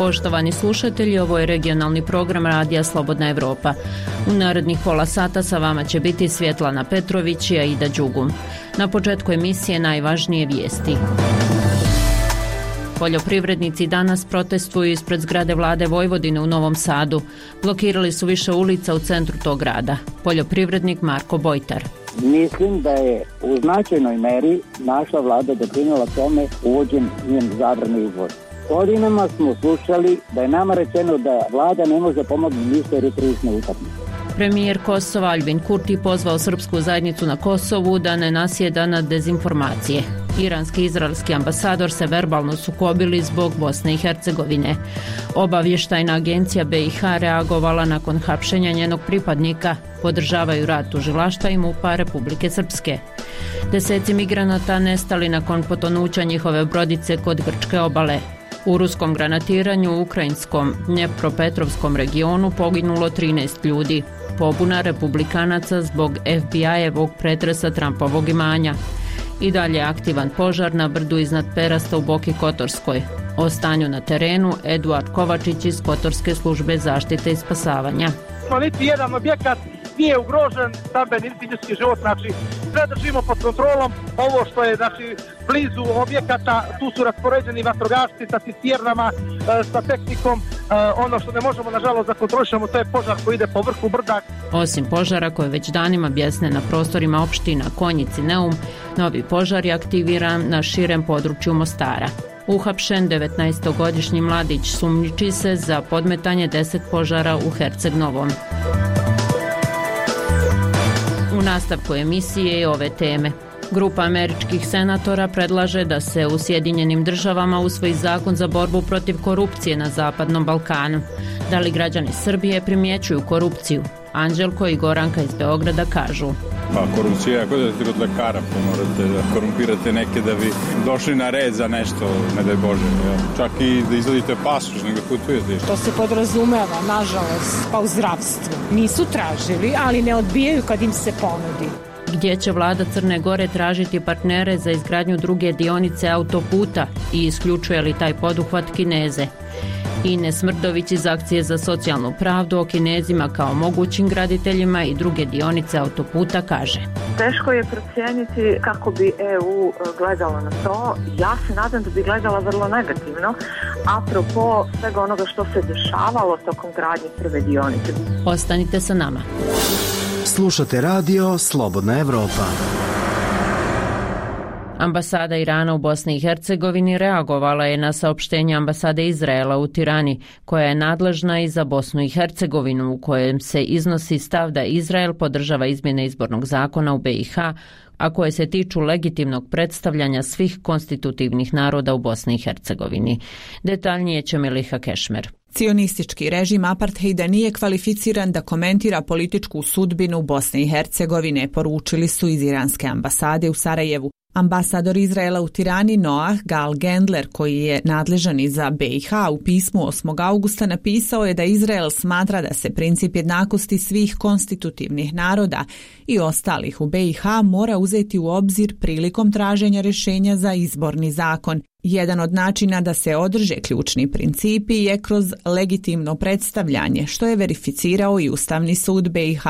Poštovani slušatelji, ovo je regionalni program Radija Slobodna Evropa. U narednih pola sata sa vama će biti Svjetlana Petrović i Aida Đugum. Na početku emisije najvažnije vijesti. Poljoprivrednici danas protestuju ispred zgrade vlade Vojvodine u Novom Sadu. Blokirali su više ulica u centru tog grada. Poljoprivrednik Marko Bojtar. Mislim da je u značajnoj meri naša vlada doprinijela tome uvođenjem zabrane izvoza. Godinama smo slušali da je nama rečeno da vlada ne može pomoći ništa jer je tržišna utakmica. Premijer Kosova Aljbin Kurti pozvao srpsku zajednicu na Kosovu da ne nasjeda na dezinformacije. Iranski i izraelski ambasador se verbalno sukobili zbog Bosne i Hercegovine. Obavještajna agencija BiH reagovala nakon hapšenja njenog pripadnika, podržavaju rad tužilaštva i MUP-a Republike Srpske. Deseci migranata nestali nakon potonuća njihove brodice kod grčke obale. U ruskom granatiranju u ukrajinskom Dnjepropetrovskom regionu poginulo 13 ljudi. Pobuna republikanaca zbog FBI-evog pretresa Trumpovog imanja. I dalje aktivan požar na brdu iznad Perasta u Boki Kotorskoj. O stanju na terenu Eduard Kovačić iz Kotorske službe zaštite i spasavanja. Niti jedan objekat nije ugrožen, stambeni fizički život, znači sve držimo pod kontrolom. Ovo što je blizu objekata, tu su raspoređeni vatrogasci sa cisternama, sa tehnikom. Ono što ne možemo nažalost da kontrolišemo, to je požar koji ide po vrhu brda. Osim požara koje već danima bjesne na prostorima opština Konjic i Neum, novi požar je aktiviran na širem području Mostara. Uhapšen 19-godišnji mladić sumnjiči se za podmetanje 10 požara u Herceg Novom. U nastavku emisije je ove teme. Grupa američkih senatora predlaže da se u Sjedinjenim Državama usvoji zakon za borbu protiv korupcije na Zapadnom Balkanu. Da li građani Srbije primjećuju korupciju? Anđelko i Goranka iz Beograda kažu. Korupcija je ako da ste kod lekara, pa morate da korumpirate neke da bi došli na red za nešto, ne daj Bože. Čak i da izvadite pasoš, nego putujete. To se podrazumeva, nažalost, pa u zdravstvu. Nisu tražili, ali ne odbijaju kad im se ponudi. Gdje će vlada Crne Gore tražiti partnere za izgradnju druge dionice autoputa i isključuje li taj poduhvat Kineze? Ines Smrdović iz Akcije za socijalnu pravdu o Kinezima kao mogućim graditeljima i druge dionice autoputa kaže. Teško je procijeniti kako bi EU gledala na to. Ja se nadam da bi gledala vrlo negativno, apropo svega onoga što se dešavalo tokom gradnje prve dionice. Ostanite sa nama. Slušate radio Slobodna Evropa. Ambasada Irana u Bosni i Hercegovini reagovala je na saopštenje ambasade Izraela u Tirani, koja je nadležna i za Bosnu i Hercegovinu, u kojem se iznosi stav da Izrael podržava izmjene izbornog zakona u BiH, a koje se tiču legitimnog predstavljanja svih konstitutivnih naroda u Bosni i Hercegovini. Detaljnije će Miliha Kešmer. Cionistički režim apartheida nije kvalificiran da komentira političku sudbinu Bosne i Hercegovine, poručili su iz iranske ambasade u Sarajevu. Ambasador Izraela u Tirani Noah Gal Gendler, koji je nadležan i za BiH, u pismu 8. augusta napisao je da Izrael smatra da se princip jednakosti svih konstitutivnih naroda i ostalih u BiH mora uzeti u obzir prilikom traženja rješenja za izborni zakon. Jedan od načina da se održe ključni principi je kroz legitimno predstavljanje, što je verificirao i Ustavni sud BiH,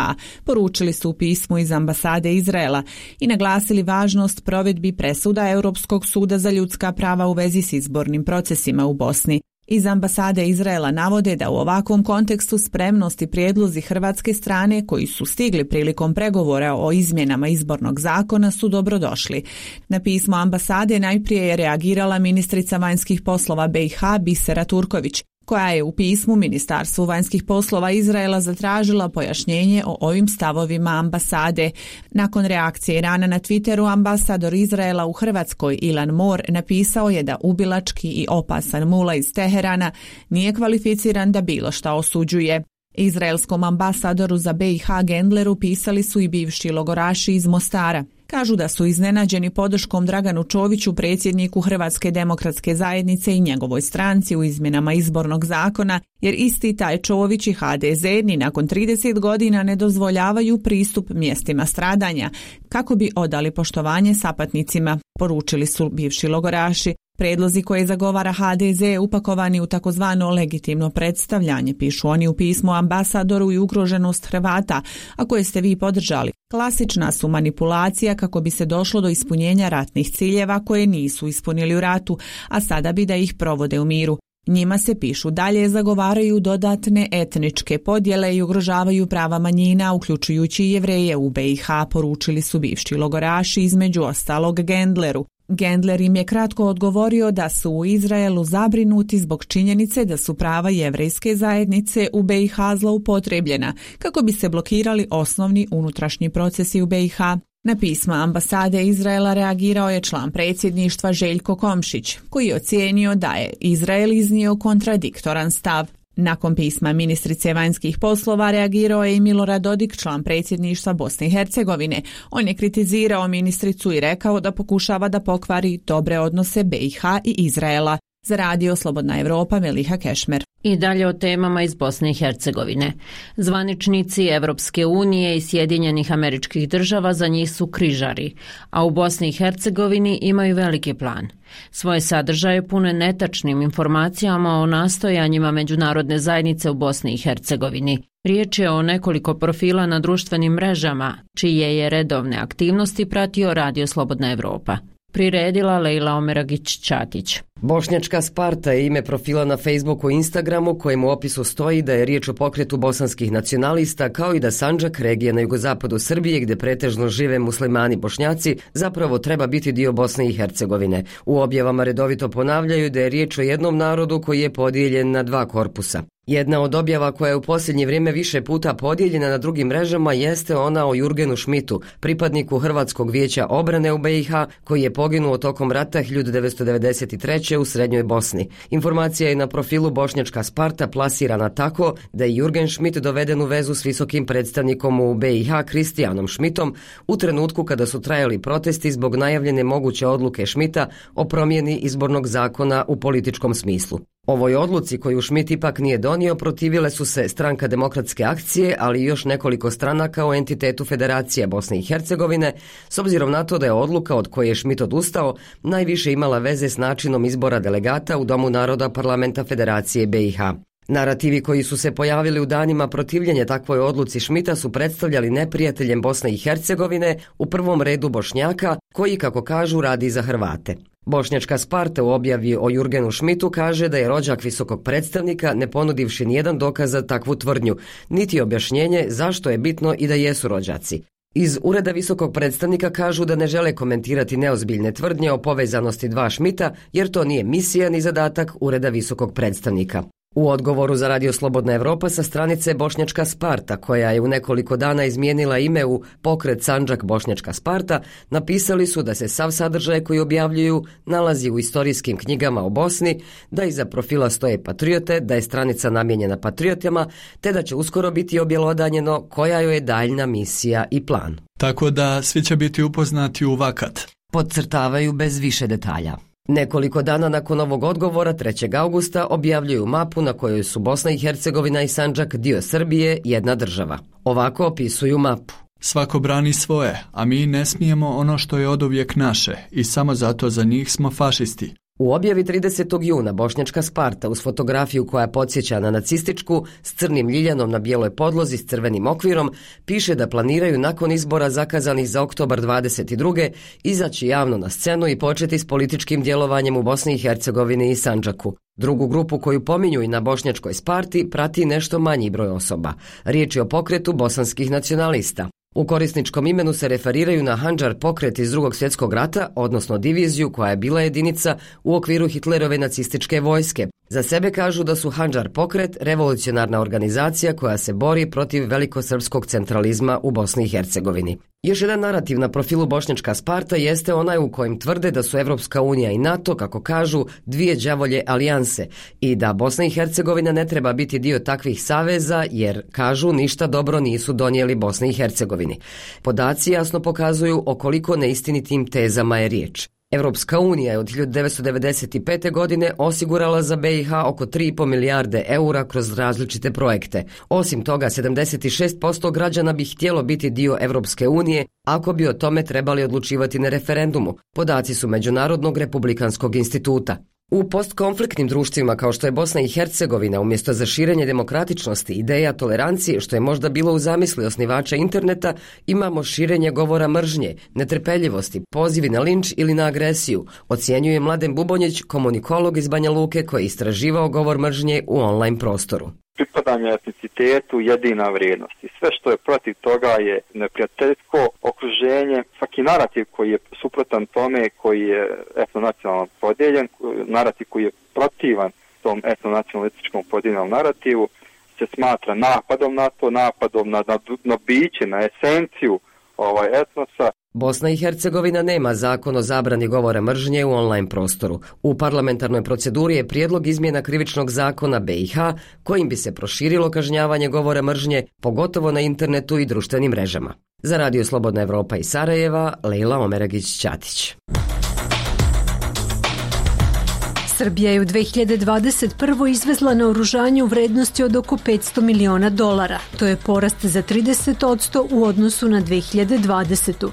poručili su u pismu iz ambasade Izraela i naglasili važnost provedbi presuda Europskog suda za ljudska prava u vezi s izbornim procesima u Bosni. Iz ambasade Izraela navode da u ovakvom kontekstu spremnost i prijedlozi hrvatske strane koji su stigli prilikom pregovora o izmjenama izbornog zakona su dobrodošli. Na pismo ambasade najprije je reagirala ministrica vanjskih poslova BiH Bisera Turković, koja je u pismu Ministarstvu vanjskih poslova Izraela zatražila pojašnjenje o ovim stavovima ambasade. Nakon reakcije Irana na Twitteru, ambasador Izraela u Hrvatskoj Ilan Mor napisao je da ubilački i opasan mula iz Teherana nije kvalificiran da bilo šta osuđuje. Izraelskom ambasadoru za BiH Gendleru pisali su i bivši logoraši iz Mostara. Kažu da su iznenađeni podrškom Draganu Čoviću, predsjedniku Hrvatske demokratske zajednice i njegovoj stranci u izmjenama izbornog zakona, jer isti taj Čović i HDZ ni nakon 30 godina ne dozvoljavaju pristup mjestima stradanja, kako bi odali poštovanje sapatnicima, poručili su bivši logoraši. Predlozi koje zagovara HDZ upakovani u takozvano legitimno predstavljanje, pišu oni u pismu ambasadoru, i ugroženost Hrvata, a koje ste vi podržali. Klasična su manipulacija kako bi se došlo do ispunjenja ratnih ciljeva koje nisu ispunili u ratu, a sada bi da ih provode u miru. Njima se, pišu dalje, zagovaraju dodatne etničke podjele i ugrožavaju prava manjina, uključujući i Jevreje u BiH, poručili su bivši logoraši, između ostalog Gendleru. Gendler im je kratko odgovorio da su u Izraelu zabrinuti zbog činjenice da su prava jevrejske zajednice u BiH zloupotrebljena, kako bi se blokirali osnovni unutrašnji procesi u BiH. Na pisma ambasade Izraela reagirao je član predsjedništva Željko Komšić, koji je ocijenio da je Izrael iznio kontradiktoran stav. Nakon pisma ministrice vanjskih poslova reagirao je i Milorad Dodik, član predsjedništva Bosne i Hercegovine. On je kritizirao ministricu i rekao da pokušava da pokvari dobre odnose BiH i Izraela. Za Radio Slobodna Evropa, Meliha Kešmer. I dalje o temama iz Bosne i Hercegovine. Zvaničnici Evropske unije i Sjedinjenih Američkih Država za njih su križari, a u Bosni i Hercegovini imaju veliki plan. Svoje sadržaje pune netačnim informacijama o nastojanjima međunarodne zajednice u Bosni i Hercegovini. Riječ je o nekoliko profila na društvenim mrežama, čije je redovne aktivnosti pratio Radio Slobodna Evropa. Priredila Lejla Omeragić-Ćatić. Bošnjačka Sparta je ime profila na Facebooku i Instagramu, kojem u opisu stoji da je riječ o pokretu bosanskih nacionalista, kao i da Sandžak, regija na jugozapadu Srbije, gdje pretežno žive muslimani Bošnjaci, zapravo treba biti dio Bosne i Hercegovine. U objavama redovito ponavljaju da je riječ o jednom narodu koji je podijeljen na dva korpusa. Jedna od objava koja je u posljednje vrijeme više puta podijeljena na drugim mrežama jeste ona o Jurgenu Šmitu, pripadniku Hrvatskog vijeća obrane u BiH, koji je poginuo tokom rata 1993. u Srednjoj Bosni. Informacija je na profilu Bošnjačka Sparta plasirana tako da je Jurgen Šmit doveden u vezu s visokim predstavnikom u BiH Kristijanom Šmitom u trenutku kada su trajali protesti zbog najavljene moguće odluke Šmita o promjeni izbornog zakona u političkom smislu. Ovoj odluci koju Šmit ipak nije donio protivile su se Stranka demokratske akcije, ali i još nekoliko stranaka u entitetu Federacije Bosne i Hercegovine, s obzirom na to da je odluka od koje je Šmit odustao najviše imala veze s načinom izbora delegata u Domu naroda Parlamenta Federacije BiH. Narativi koji su se pojavili u danima protivljenja takvoj odluci Šmita su predstavljali neprijateljem Bosne i Hercegovine, u prvom redu Bošnjaka, koji, kako kažu, radi za Hrvate. Bošnjačka Sparta u objavi o Jurgenu Šmitu kaže da je rođak visokog predstavnika, ne ponudivši nijedan dokaz za takvu tvrdnju, niti objašnjenje zašto je bitno i da jesu rođaci. Iz ureda visokog predstavnika kažu da ne žele komentirati neozbiljne tvrdnje o povezanosti dva Šmita, jer to nije misija ni zadatak ureda visokog predstavnika. U odgovoru za Radio Slobodna Evropa sa stranice Bošnjačka Sparta, koja je u nekoliko dana izmijenila ime u Pokret Sandžak Bošnjačka Sparta, napisali su da se sav sadržaj koji objavljuju nalazi u istorijskim knjigama o Bosni, da iza profila stoje patriote, da je stranica namijenjena patriotama, te da će uskoro biti objelodanjeno koja joj je daljna misija i plan. Tako da svi će biti upoznati u vakat. Podcrtavaju bez više detalja. Nekoliko dana nakon ovog odgovora, 3. augusta, objavljuju mapu na kojoj su Bosna i Hercegovina i Sandžak, dio Srbije, jedna država. Ovako opisuju mapu. Svako brani svoje, a mi ne smijemo ono što je oduvijek naše i samo zato za njih smo fašisti. U objavi 30. juna Bošnjačka Sparta uz fotografiju koja podsjeća na nacističku s crnim ljiljanom na bijeloj podlozi s crvenim okvirom piše da planiraju nakon izbora zakazanih za oktobar 22. izaći javno na scenu i početi s političkim djelovanjem u Bosni i Hercegovini i Sandžaku. Drugu grupu koju pominju i na Bošnjačkoj Sparti prati nešto manji broj osoba. Riječ je o pokretu bosanskih nacionalista. U korisničkom imenu se referiraju na Handžar pokret iz Drugog svjetskog rata, odnosno diviziju koja je bila jedinica u okviru Hitlerove nacističke vojske. Za sebe kažu da su Handžar pokret revolucionarna organizacija koja se bori protiv velikosrpskog centralizma u Bosni i Hercegovini. Još jedan narativ na profilu Bošnjačka Sparta jeste onaj u kojem tvrde da su Evropska unija i NATO, kako kažu, dvije đavolje alijanse i da Bosna i Hercegovina ne treba biti dio takvih saveza jer, kažu, ništa dobro nisu donijeli Bosni i Hercegovini. Podaci jasno pokazuju o koliko neistinitim tezama je riječ. Evropska unija je od 1995. godine osigurala za BiH oko 3,5 milijarde eura kroz različite projekte. Osim toga, 76% građana bi htjelo biti dio Evropske unije ako bi o tome trebali odlučivati na referendumu. Podaci su Međunarodnog republikanskog instituta. U postkonfliktnim društvima kao što je Bosna i Hercegovina, umjesto za širenje demokratičnosti, ideja tolerancije, što je možda bilo u zamisli osnivača interneta, imamo širenje govora mržnje, netrpeljivosti, pozivi na linč ili na agresiju, ocjenjuje Mladen Bubonjić, komunikolog iz Banja Luke koji je istraživao govor mržnje u online prostoru. Pripadanje etnicitetu jedina vrijednost i sve što je protiv toga je neprijateljsko okruženje, svaki narativ koji je suprotan tome, koji je etnonacionalno podijeljen, narativ koji je protivan tom etnonacionalističkom podijeljenom narativu se smatra napadom na to, napadom na biće, na esenciju etnosa. Bosna i Hercegovina nema zakon o zabrani govora mržnje u online prostoru. U parlamentarnoj proceduri je prijedlog izmjena krivičnog zakona BiH kojim bi se proširilo kažnjavanje govora mržnje, pogotovo na internetu i društvenim mrežama. Za Radio Slobodna Evropa iz Sarajeva, Lejla Omeragić-Ćatić. Srbija je u 2021. izvezla naoružanje u vrednosti od oko $500 miliona. To je porast za 30% u odnosu na 2020.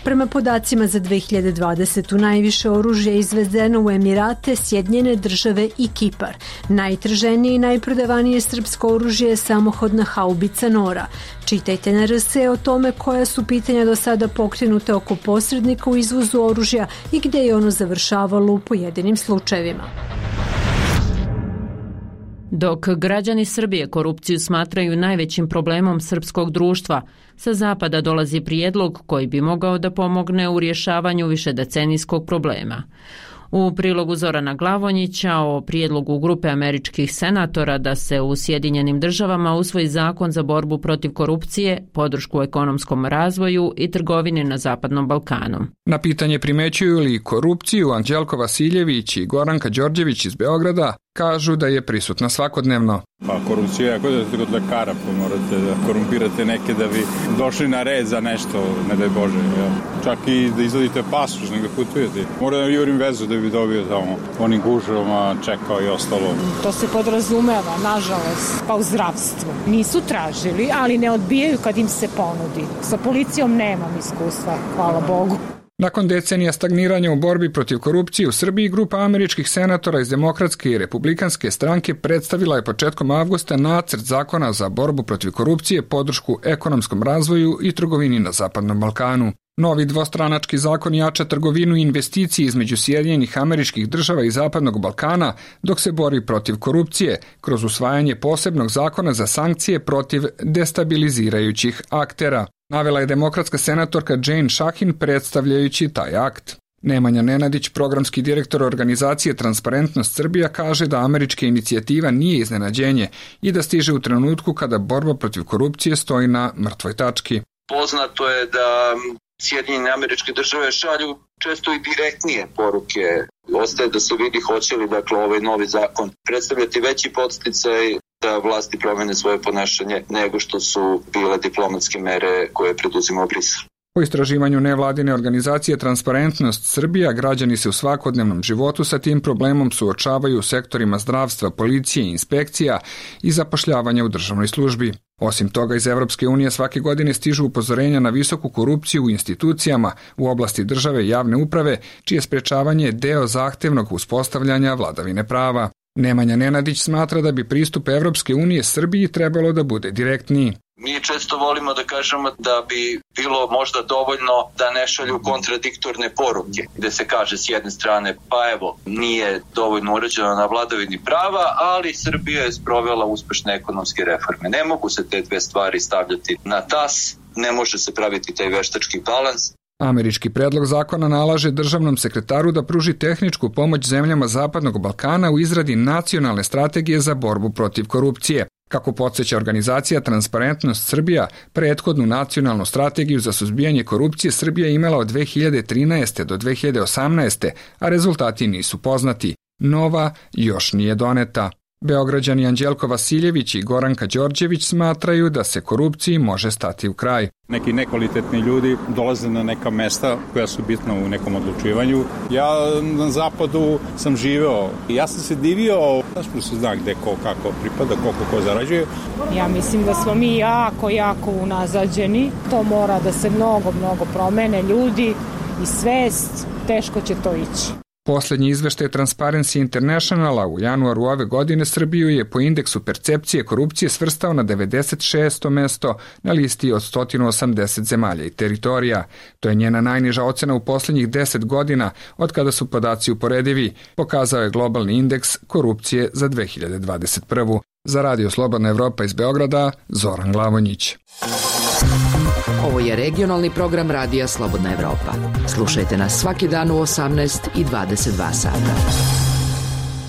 Prema podacima za 2020. najviše oružje je izvezeno u Emirate, Sjedinjene Države i Kipar. Najtraženije i najprodavanije srpsko oružje je samohodna haubica Nora. Čitajte na RS o tome koja su pitanja do sada pokrenuta oko posrednika u izvozu oružja i gdje je ono završavalo u pojedinim slučajevima. Dok građani Srbije korupciju smatraju najvećim problemom srpskog društva, sa zapada dolazi prijedlog koji bi mogao da pomogne u rješavanju višedecenijskog problema. U prilogu Zorana Glavonjića o prijedlogu grupe američkih senatora da se u Sjedinjenim Državama usvoji zakon za borbu protiv korupcije, podršku ekonomskom razvoju i trgovini na Zapadnom Balkanu. Na pitanje primećuju li korupciju, Anđelko Vasiljević i Goranka Đorđević iz Beograda kažu da je prisutna svakodnevno. Pa korupcija je kod lekara, pa morate da korumpirate neke da bi došli na red za nešto, ne daj Bože. Ja. Čak i da izvadite pasoš, nego putujete. Moram da jurim vezu da bi dobio tamo onim gužovama, čekao i ostalo. To se podrazumeva, nažalost, pa u zdravstvu. Nisu tražili, ali ne odbijaju kad im se ponudi. Sa policijom nemam iskustva, hvala Bogu. Nakon decenija stagniranja u borbi protiv korupcije u Srbiji, grupa američkih senatora iz Demokratske i Republikanske stranke predstavila je početkom avgusta nacrt zakona za borbu protiv korupcije, podršku ekonomskom razvoju i trgovini na Zapadnom Balkanu. Novi dvostranački zakon jača trgovinu i investicije između Sjedinjenih Američkih Država i Zapadnog Balkana dok se bori protiv korupcije kroz usvajanje posebnog zakona za sankcije protiv destabilizirajućih aktera. Navela je demokratska senatorka Jane Šahin predstavljajući taj akt. Nemanja Nenadić, programski direktor organizacije Transparentnost Srbija, kaže da američka inicijativa nije iznenađenje i da stiže u trenutku kada borba protiv korupcije stoji na mrtvoj tački. Poznato je da Sjedinjene Američke Države šalju često i direktnije poruke. Ostaje da se vidi hoće li ovaj novi zakon predstavljati veći podsticaj da vlasti promene svoje ponašanje nego što su bile diplomatske mere koje preduzimao Brisel. Po istraživanju nevladine organizacije Transparentnost Srbija, građani se u svakodnevnom životu sa tim problemom suočavaju u sektorima zdravstva, policije, inspekcija i zapošljavanja u državnoj službi. Osim toga, iz Evropske unije svake godine stižu upozorenja na visoku korupciju u institucijama u oblasti države i javne uprave, čije sprečavanje je deo zahtevnog uspostavljanja vladavine prava. Nemanja Nenadić smatra da bi pristup Evropske unije Srbiji trebalo da bude direktniji. Mi često volimo da kažemo da bi bilo možda dovoljno da ne šalju kontradiktorne poruke, gde se kaže s jedne strane pa evo nije dovoljno urađeno na vladavini prava, ali Srbija je sprovela uspešne ekonomske reforme. Ne mogu se te dve stvari stavljati na tas, ne može se praviti taj veštački balans. Američki predlog zakona nalaže državnom sekretaru da pruži tehničku pomoć zemljama Zapadnog Balkana u izradi nacionalne strategije za borbu protiv korupcije. Kako podsjeća organizacija Transparentnost Srbija, prethodnu nacionalnu strategiju za suzbijanje korupcije Srbija je imala od 2013. do 2018. a rezultati nisu poznati. Nova još nije doneta. Beograđani Anđelko Vasiljević i Goranka Đorđević smatraju da se korupciji može stati u kraj. Neki nekvalitetni ljudi dolaze na neka mesta koja su bitna u nekom odlučivanju. Ja na zapadu sam živeo i ja sam se divio, što se zna gde ko kako pripada, koliko ko zarađuje. Ja mislim da smo mi jako unazađeni. To mora da se mnogo promene ljudi i svest, teško će to ići. Posljednji izveštaj Transparency Internationala u januaru ove godine Srbiju je po indeksu percepcije korupcije svrstao na 96. mesto na listi od 180 zemalja i teritorija. To je njena najniža ocena u posljednjih 10 godina od kada su podaci uporedivi, pokazao je globalni indeks korupcije za 2021. Za Radio Slobodna Evropa iz Beograda, Zoran Glavonjić. Ovo je regionalni program Radija Slobodna Evropa. Slušajte nas svaki dan u 18 i 22 sata.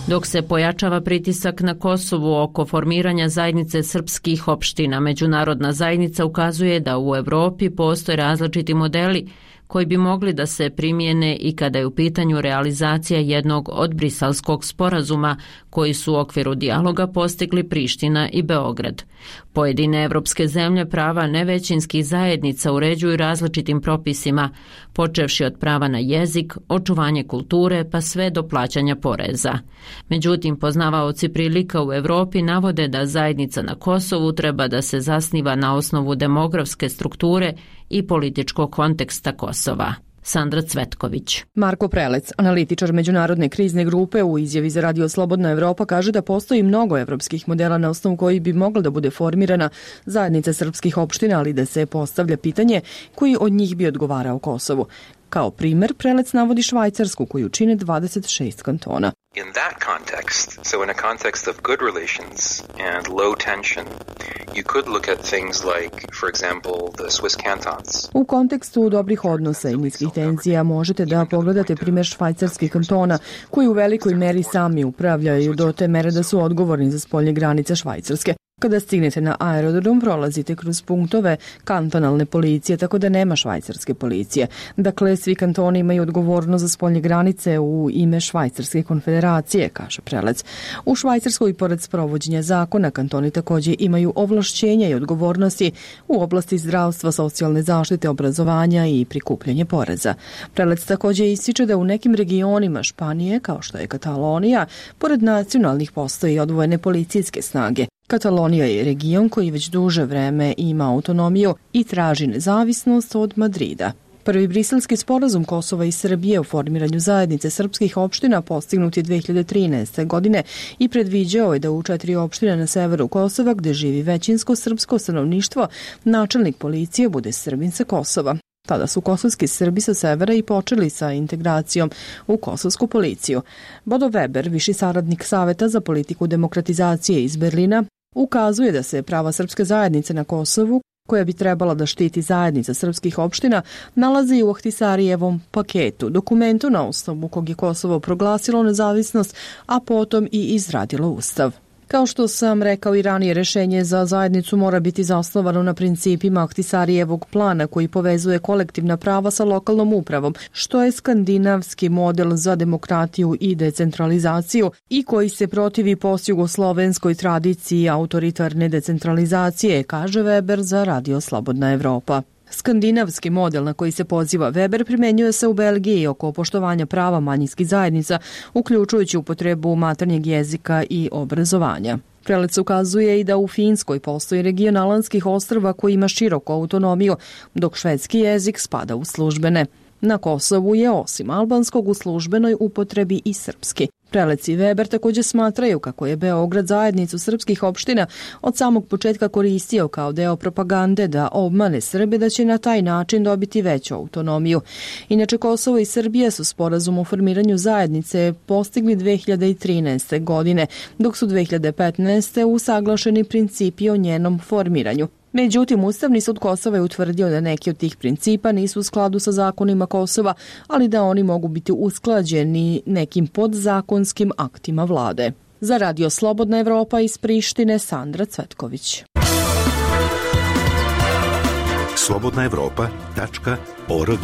Dok se pojačava pritisak na Kosovu oko formiranja zajednice srpskih opština, međunarodna zajednica ukazuje da u Evropi postoje različiti modeli koji bi mogli da se primijene i kada je u pitanju realizacija jednog od Briselskog sporazuma koji su u okviru dijaloga postigli Priština i Beograd. Pojedine evropske zemlje prava nevećinskih zajednica uređuju različitim propisima, počevši od prava na jezik, očuvanje kulture pa sve do plaćanja poreza. Međutim, poznavaoci prilika u Evropi navode da zajednica na Kosovu treba da se zasniva na osnovu demografske strukture i političkog konteksta Kosova. Sandra Cvetković. Marko Prelec, analitičar međunarodne krizne grupe, u izjavi za Radio Slobodna Evropa kaže da postoji mnogo evropskih modela na osnovu koji bi mogla da bude formirana zajednica srpskih opština, ali da se postavlja pitanje koji od njih bi odgovarao Kosovu. Kao primer, Prelec navodi Švajcarsku koju čine 26 kantona. In that context, so in a context of good relations and low tension, you could look at things like, for example, the Swiss cantons. U kontekstu dobrih odnosa i niskih tenzija možete da pogledate primjer švajcarskih kantona koji u velikoj meri sami upravljaju do te mere da su odgovorni za spoljne granice Švajcarske. Kada stignete na aerodrom, prolazite kroz punktove kantonalne policije, tako da nema švajcarske policije. Dakle, svi kantoni imaju odgovornost za spoljne granice u ime Švajcarske konfederacije, kaže Prelec. U Švajcarskoj, pored sprovođenja zakona, kantoni također imaju ovlašćenja i odgovornosti u oblasti zdravstva, socijalne zaštite, obrazovanja i prikupljanje poreza. Prelec također ističe da u nekim regionima Španije, kao što je Katalonija, pored nacionalnih postoji odvojene policijske snage. Katalonija je region koji već duže vreme ima autonomiju i traži nezavisnost od Madrida. Prvi briselski sporazum Kosova i Srbije o formiranju zajednice srpskih opština postignut je 2013. godine i predviđao je da u 4 opštine na severu Kosova, gde živi većinsko srpsko stanovništvo, načelnik policije bude Srbin sa Kosova. Tada su kosovski Srbi sa severa i počeli sa integracijom u kosovsku policiju. Bodo Weber, viši saradnik Saveta za politiku demokratizacije iz Berlina, ukazuje da se prava srpske zajednice na Kosovu, koja bi trebala da štiti zajednica srpskih opština, nalazi u Ahtisarijevom paketu, dokumentu na osnovu kog je Kosovo proglasilo nezavisnost, a potom i izradilo ustav. Kao što sam rekao i ranije, rešenje za zajednicu mora biti zasnovano na principima Ahtisarijevog plana koji povezuje kolektivna prava sa lokalnom upravom, što je skandinavski model za demokratiju i decentralizaciju i koji se protivi postjugoslovenskoj tradiciji autoritarne decentralizacije, kaže Weber za Radio Slobodna Evropa. Skandinavski model na koji se poziva Weber primenjuje se u Belgiji oko poštovanja prava manjinskih zajednica, uključujući upotrebu maternjeg jezika i obrazovanja. Prelec ukazuje i da u Finskoj postoji region Alanskih ostrva koji ima široku autonomiju, dok švedski jezik spada u službene. Na Kosovu je osim albanskog u službenoj upotrebi i srpski. Prelec i Weber također smatraju kako je Beograd zajednicu srpskih opština od samog početka koristio kao deo propagande da obmane Srbe da će na taj način dobiti veću autonomiju. Inače, Kosovo i Srbija su sporazum o formiranju zajednice postigli 2013. godine, dok su 2015. usaglašeni principi o njenom formiranju. Međutim, Ustavni sud Kosova je utvrdio da neki od tih principa nisu u skladu sa zakonima Kosova, ali da oni mogu biti usklađeni nekim podzakonskim aktima vlade. Za Radio Slobodna Evropa iz Prištine, Sandra Cvetković. slobodnaevropa.org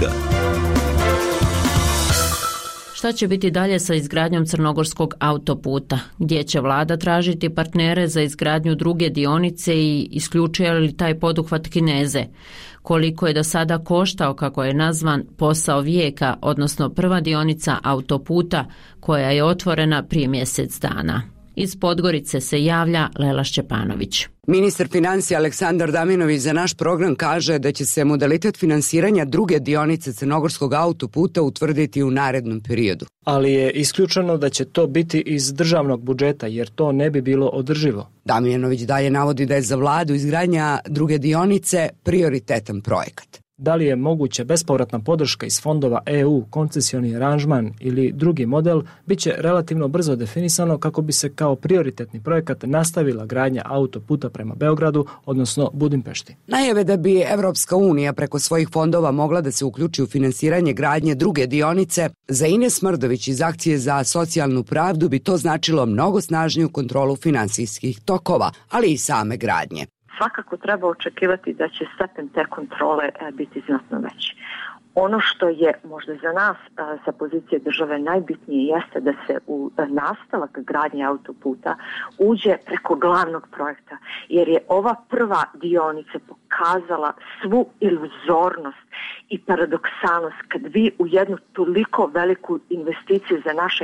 Šta će biti dalje sa izgradnjom crnogorskog autoputa? Gdje će vlada tražiti partnere za izgradnju druge dionice i isključuje li taj poduhvat Kineze? Koliko je do sada koštao, kako je nazvan, posao vijeka, odnosno prva dionica autoputa koja je otvorena prije mjesec dana? Iz Podgorice se javlja Lela Šćepanović. Ministar financija Aleksandar Damjanović za naš program kaže da će se modalitet finansiranja druge dionice crnogorskog autoputa utvrditi u narednom periodu. Ali je isključeno da će to biti iz državnog budžeta, jer to ne bi bilo održivo. Damjanović dalje navodi da je za vladu izgradnja druge dionice prioritetan projekat. Da li je moguće bespovratna podrška iz fondova EU, koncesioni aranžman ili drugi model, bit će relativno brzo definisano kako bi se kao prioritetni projekat nastavila gradnja autoputa prema Beogradu, odnosno Budimpešti. Najave da bi Evropska unija preko svojih fondova mogla da se uključi u finansiranje gradnje druge dionice, za Ines Mrdović iz Akcije za socijalnu pravdu bi to značilo mnogo snažniju kontrolu finansijskih tokova, ali i same gradnje. Svakako treba očekivati da će stepen te kontrole biti znatno veći. Ono što je možda za nas sa pozicije države najbitnije jeste da se u nastavak gradnje autoputa uđe preko glavnog projekta, jer je ova prva dionica pokazala svu iluzornost i paradoksalnost kad vi u jednu toliko veliku investiciju za naše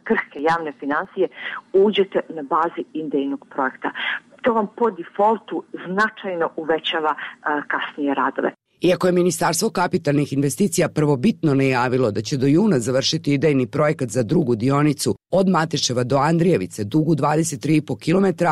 krhke javne financije uđete na bazi idejnog projekta. To vam po defaultu značajno uvećava kasnije radove. Iako je Ministarstvo kapitalnih investicija prvobitno najavilo da će do juna završiti idejni projekat za drugu dionicu od Mateševa do Andrijevice, dugu 23,5 km,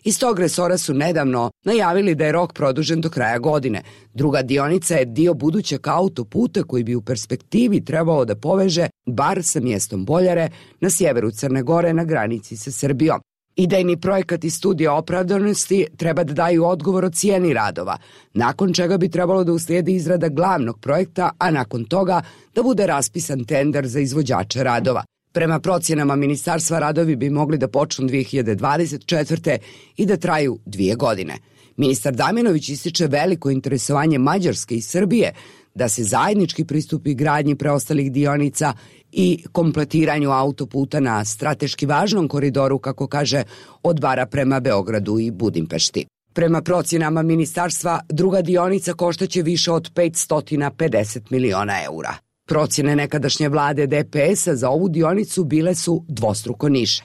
iz tog resora su nedavno najavili da je rok produžen do kraja godine. Druga dionica je dio budućeg autoputa koji bi u perspektivi trebao da poveže bar sa mjestom Boljare na sjeveru Crne Gore na granici sa Srbijom. Idejni projekat i studija opravdanosti treba da daju odgovor o cijeni radova, nakon čega bi trebalo da uslijedi izrada glavnog projekta, a nakon toga da bude raspisan tender za izvođače radova. Prema procjenama ministarstva radovi bi mogli da počnu 2024. i da traju 2 godine. Ministar Damjanović ističe veliko interesovanje Mađarske i Srbije da se zajednički pristupi gradnji preostalih dionica i kompletiranju autoputa na strateški važnom koridoru, kako kaže, od Bara prema Beogradu i Budimpešti. Prema procjenama ministarstva, druga dionica koštaće više od 550 miliona eura. Procjene nekadašnje vlade DPS-a za ovu dionicu bile su dvostruko niže.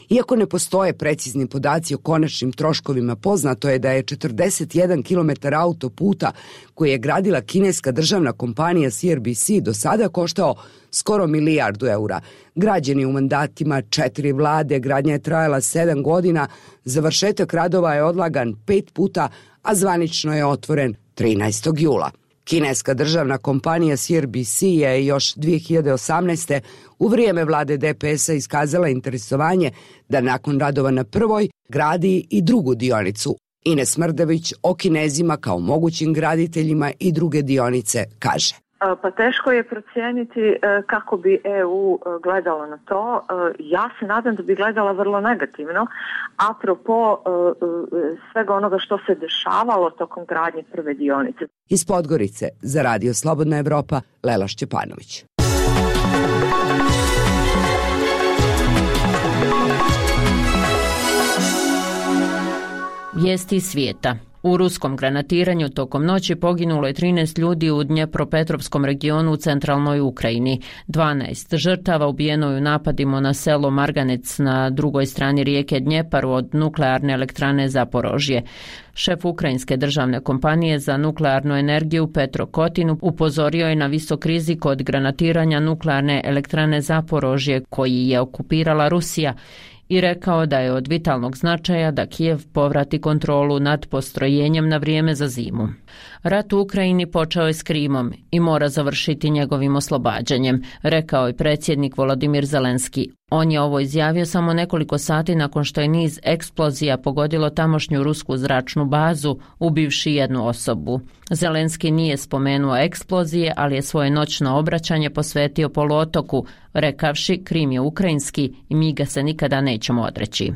Iako ne postoje precizni podaci o konačnim troškovima, poznato je da je 41 km autoputa koji je gradila kineska državna kompanija CRBC do sada koštao skoro milijardu eura. Građen je u mandatima 4 vlade, gradnja je trajala 7 godina, završetak radova je odlagan 5 puta, a zvanično je otvoren 13. jula. Kineska državna kompanija CRBC je još 2018. u vrijeme vlade DPS-a iskazala interesovanje da nakon radova na prvoj gradi i drugu dionicu. Ines Mrdović o Kinezima kao mogućim graditeljima i druge dionice kaže. Pa teško je procijeniti kako bi EU gledala na to. Ja se nadam da bi gledala vrlo negativno, apropo svega onoga što se dešavalo tokom gradnje prve dionice. Iz Podgorice za Radio Slobodna Evropa, Lela Šćepanović. Vijesti svijeta. U ruskom granatiranju tokom noći poginulo je 13 ljudi u Dnjepropetrovskom regionu u centralnoj Ukrajini. 12 žrtava ubijeno je u napadima na selo Marganec na drugoj strani rijeke Dnjepar od nuklearne elektrane Zaporožje. Šef ukrajinske državne kompanije za nuklearnu energiju Petro Kotin upozorio je na visok rizik od granatiranja nuklearne elektrane Zaporožje koji je okupirala Rusija i rekao da je od vitalnog značaja da Kijev povrati kontrolu nad postrojenjem na vrijeme za zimu. Rat u Ukrajini počeo je s Krimom i mora završiti njegovim oslobađanjem, rekao je predsjednik Volodimir Zelenski. On je ovo izjavio samo nekoliko sati nakon što je niz eksplozija pogodilo tamošnju rusku zračnu bazu, ubivši jednu osobu. Zelenski nije spomenuo eksplozije, ali je svoje noćno obraćanje posvetio poluotoku, rekavši Krim je ukrajinski i mi ga se nikada nećemo odreći.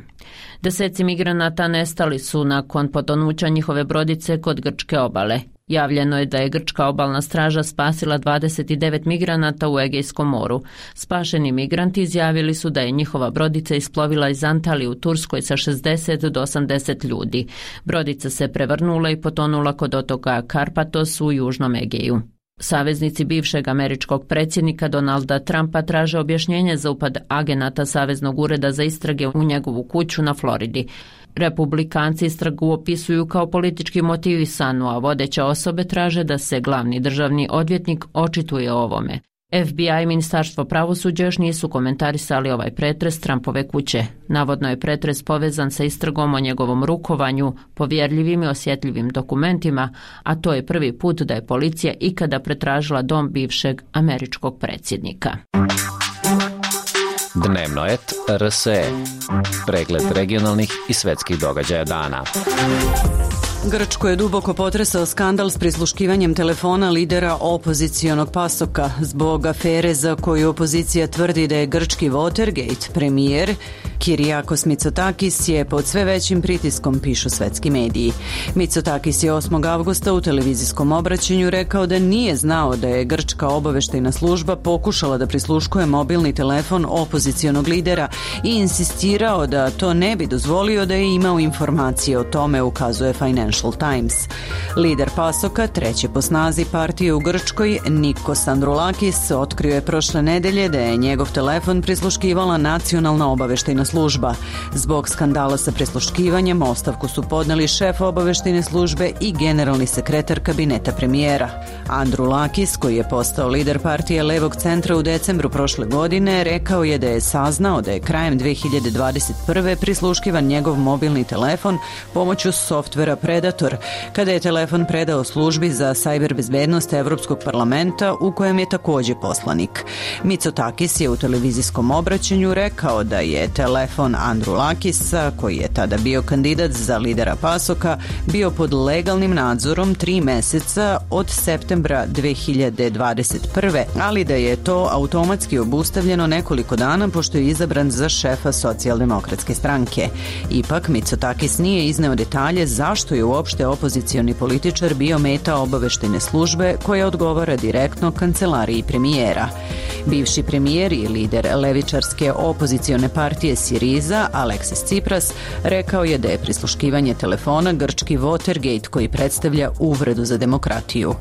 Deseci migranata nestali su nakon potonuća njihove brodice kod grčke obale. Javljeno je da je grčka obalna straža spasila 29 migranata u Egejskom moru. Spašeni migranti izjavili su da je njihova brodica isplovila iz Antalije u Turskoj sa 60 do 80 ljudi. Brodica se prevrnula i potonula kod otoka Karpatos u Južnom Egeju. Saveznici bivšeg američkog predsjednika Donalda Trumpa traže objašnjenje za upad agenata Saveznog ureda za istrage u njegovu kuću na Floridi. Republikanci istragu opisuju kao politički motivisanu, a vodeće osobe traže da se glavni državni odvjetnik očituje o ovome. FBI i Ministarstvo pravosuđa još nisu komentarisali ovaj pretres Trumpove kuće. Navodno je pretres povezan sa istragom o njegovom rukovanju, povjerljivim i osjetljivim dokumentima, a to je prvi put da je policija ikada pretražila dom bivšeg američkog predsjednika. Dnevnoet RSE. Pregled regionalnih i svetskih događaja dana. Grčko je duboko potresao skandal s prisluškivanjem telefona lidera opozicionog PASOK-a zbog afere za koju opozicija tvrdi da je grčki Watergate. Premijer Kyriakos Mitsotakis je pod sve većim pritiskom, pišu svetski mediji. Mitsotakis je 8. avgusta u televizijskom obraćanju rekao da nije znao da je grčka obaveštajna služba pokušala da prisluškuje mobilni telefon opozicionog lidera i insistirao da to ne bi dozvolio da je imao informacije o tome, ukazuje Financial Times. Lider PASOK-a, treće po snazi partije u Grčkoj, Nikos Androulakis, otkrio je prošle nedelje da je njegov telefon prisluškivala nacionalna obaveštajna služba. Zbog skandala sa prisluškivanjem ostavku su podneli šef obaveštajne službe i generalni sekretar kabineta premijera. Androulakis, koji je postao lider partije Levog centra u decembru prošle godine, rekao je da je saznao da je krajem 2021. prisluškivan njegov mobilni telefon pomoću softvera Predator, kada je telefon predao službi za sajber bezbednost Evropskog parlamenta, u kojem je također poslanik. Mitsotakis je u televizijskom obraćanju rekao da je telefon Androulakisa, koji je tada bio kandidat za lidera PASOK-a, bio pod legalnim nadzorom 3 meseca od septembra 2021. ali da je to automatski obustavljeno nekoliko dana pošto je izabran za šefa socijaldemokratske stranke. Ipak Mitsotakis nije izneo detalje zašto je uopšte opozicioni političar bio meta obaveštajne službe koja odgovara direktno kancelariji premijera. Bivši premijer i lider levičarske opozicione partije Siriza, Aleksis Tsipras, rekao je da je prisluškivanje telefona grčki Watergate koji predstavlja uvredu za demokratiju.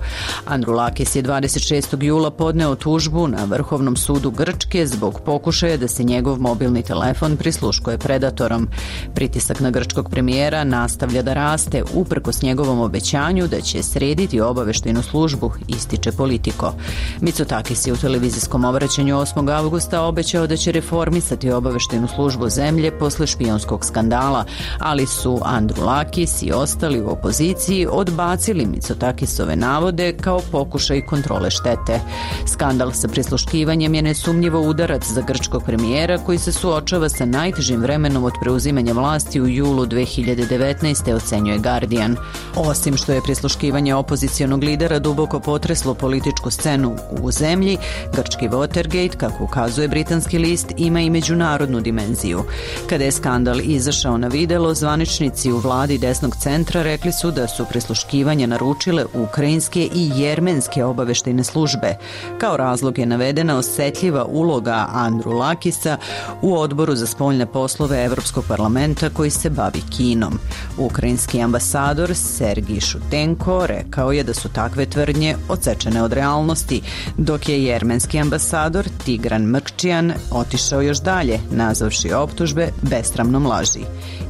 Androulakis je 26. jula podneo tužbu na Vrhovnom sudu Grčke zbog pokušaja da se njegov mobilni telefon prisluškuje Predatorom. Pritisak na grčkog premijera nastavlja da raste uprkos njegovom obećanju da će srediti obaveštajnu službu, ističe Politico. Mitsotakis je u televizijskom obraćanju 8. avgusta obećao da će reformisati obaveštajnu službu zemlje posle špijunskog skandala, ali su Androulakis i ostali u opoziciji odbacili Mitsotakisove navode kao pokušaj kontrole štete. Skandal sa prisluškivanjem je nesumnjivo udarac za grčkog premijera koji se suočava sa najtežim vremenom od preuzimanja vlasti u julu 2019. ocenjuje Guardian. Osim što je prisluškivanje opozicionog lidera duboko potreslo političku scenu u zemlji, grčki Watergate, kako ukazuje britanski list, ima i međunarodnu dimenziju. Kada je skandal izašao na videlo, zvaničnici u vladi desnog centra rekli su da su prisluškivanje naručile ukrajinske i jermenske obaveštajne službe. Kao razlog je navedena osetljiva uloga Androulakisa u odboru za spoljne poslove Evropskog parlamenta koji se bavi Kinom. Ukrajinski ambasador Sergij Šutenko rekao je da su takve tvrdnje odsečene od realnosti, dok je jermenski ambasador Tigran Mrkčijan otišao još dalje, nazvavši optužbe besramnom laži.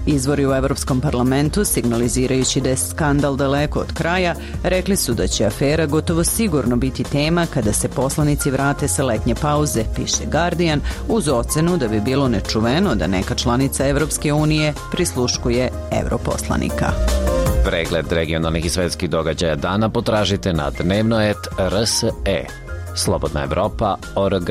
Izvori u Evropskom parlamentu, signalizirajući da je skandal daleko od kraja, rekli su da će afera gotovo sigurno biti tema kada se poslanici vrate sa letnje pauze, piše Guardian, uz ocenu da bi bilo nečuveno da neka članica Evropske unije prisluškuje europoslanika. Pregled regionalnih i svetskih događaja dana potražite na dnevnoet.rse. Slobodna Evropa.org.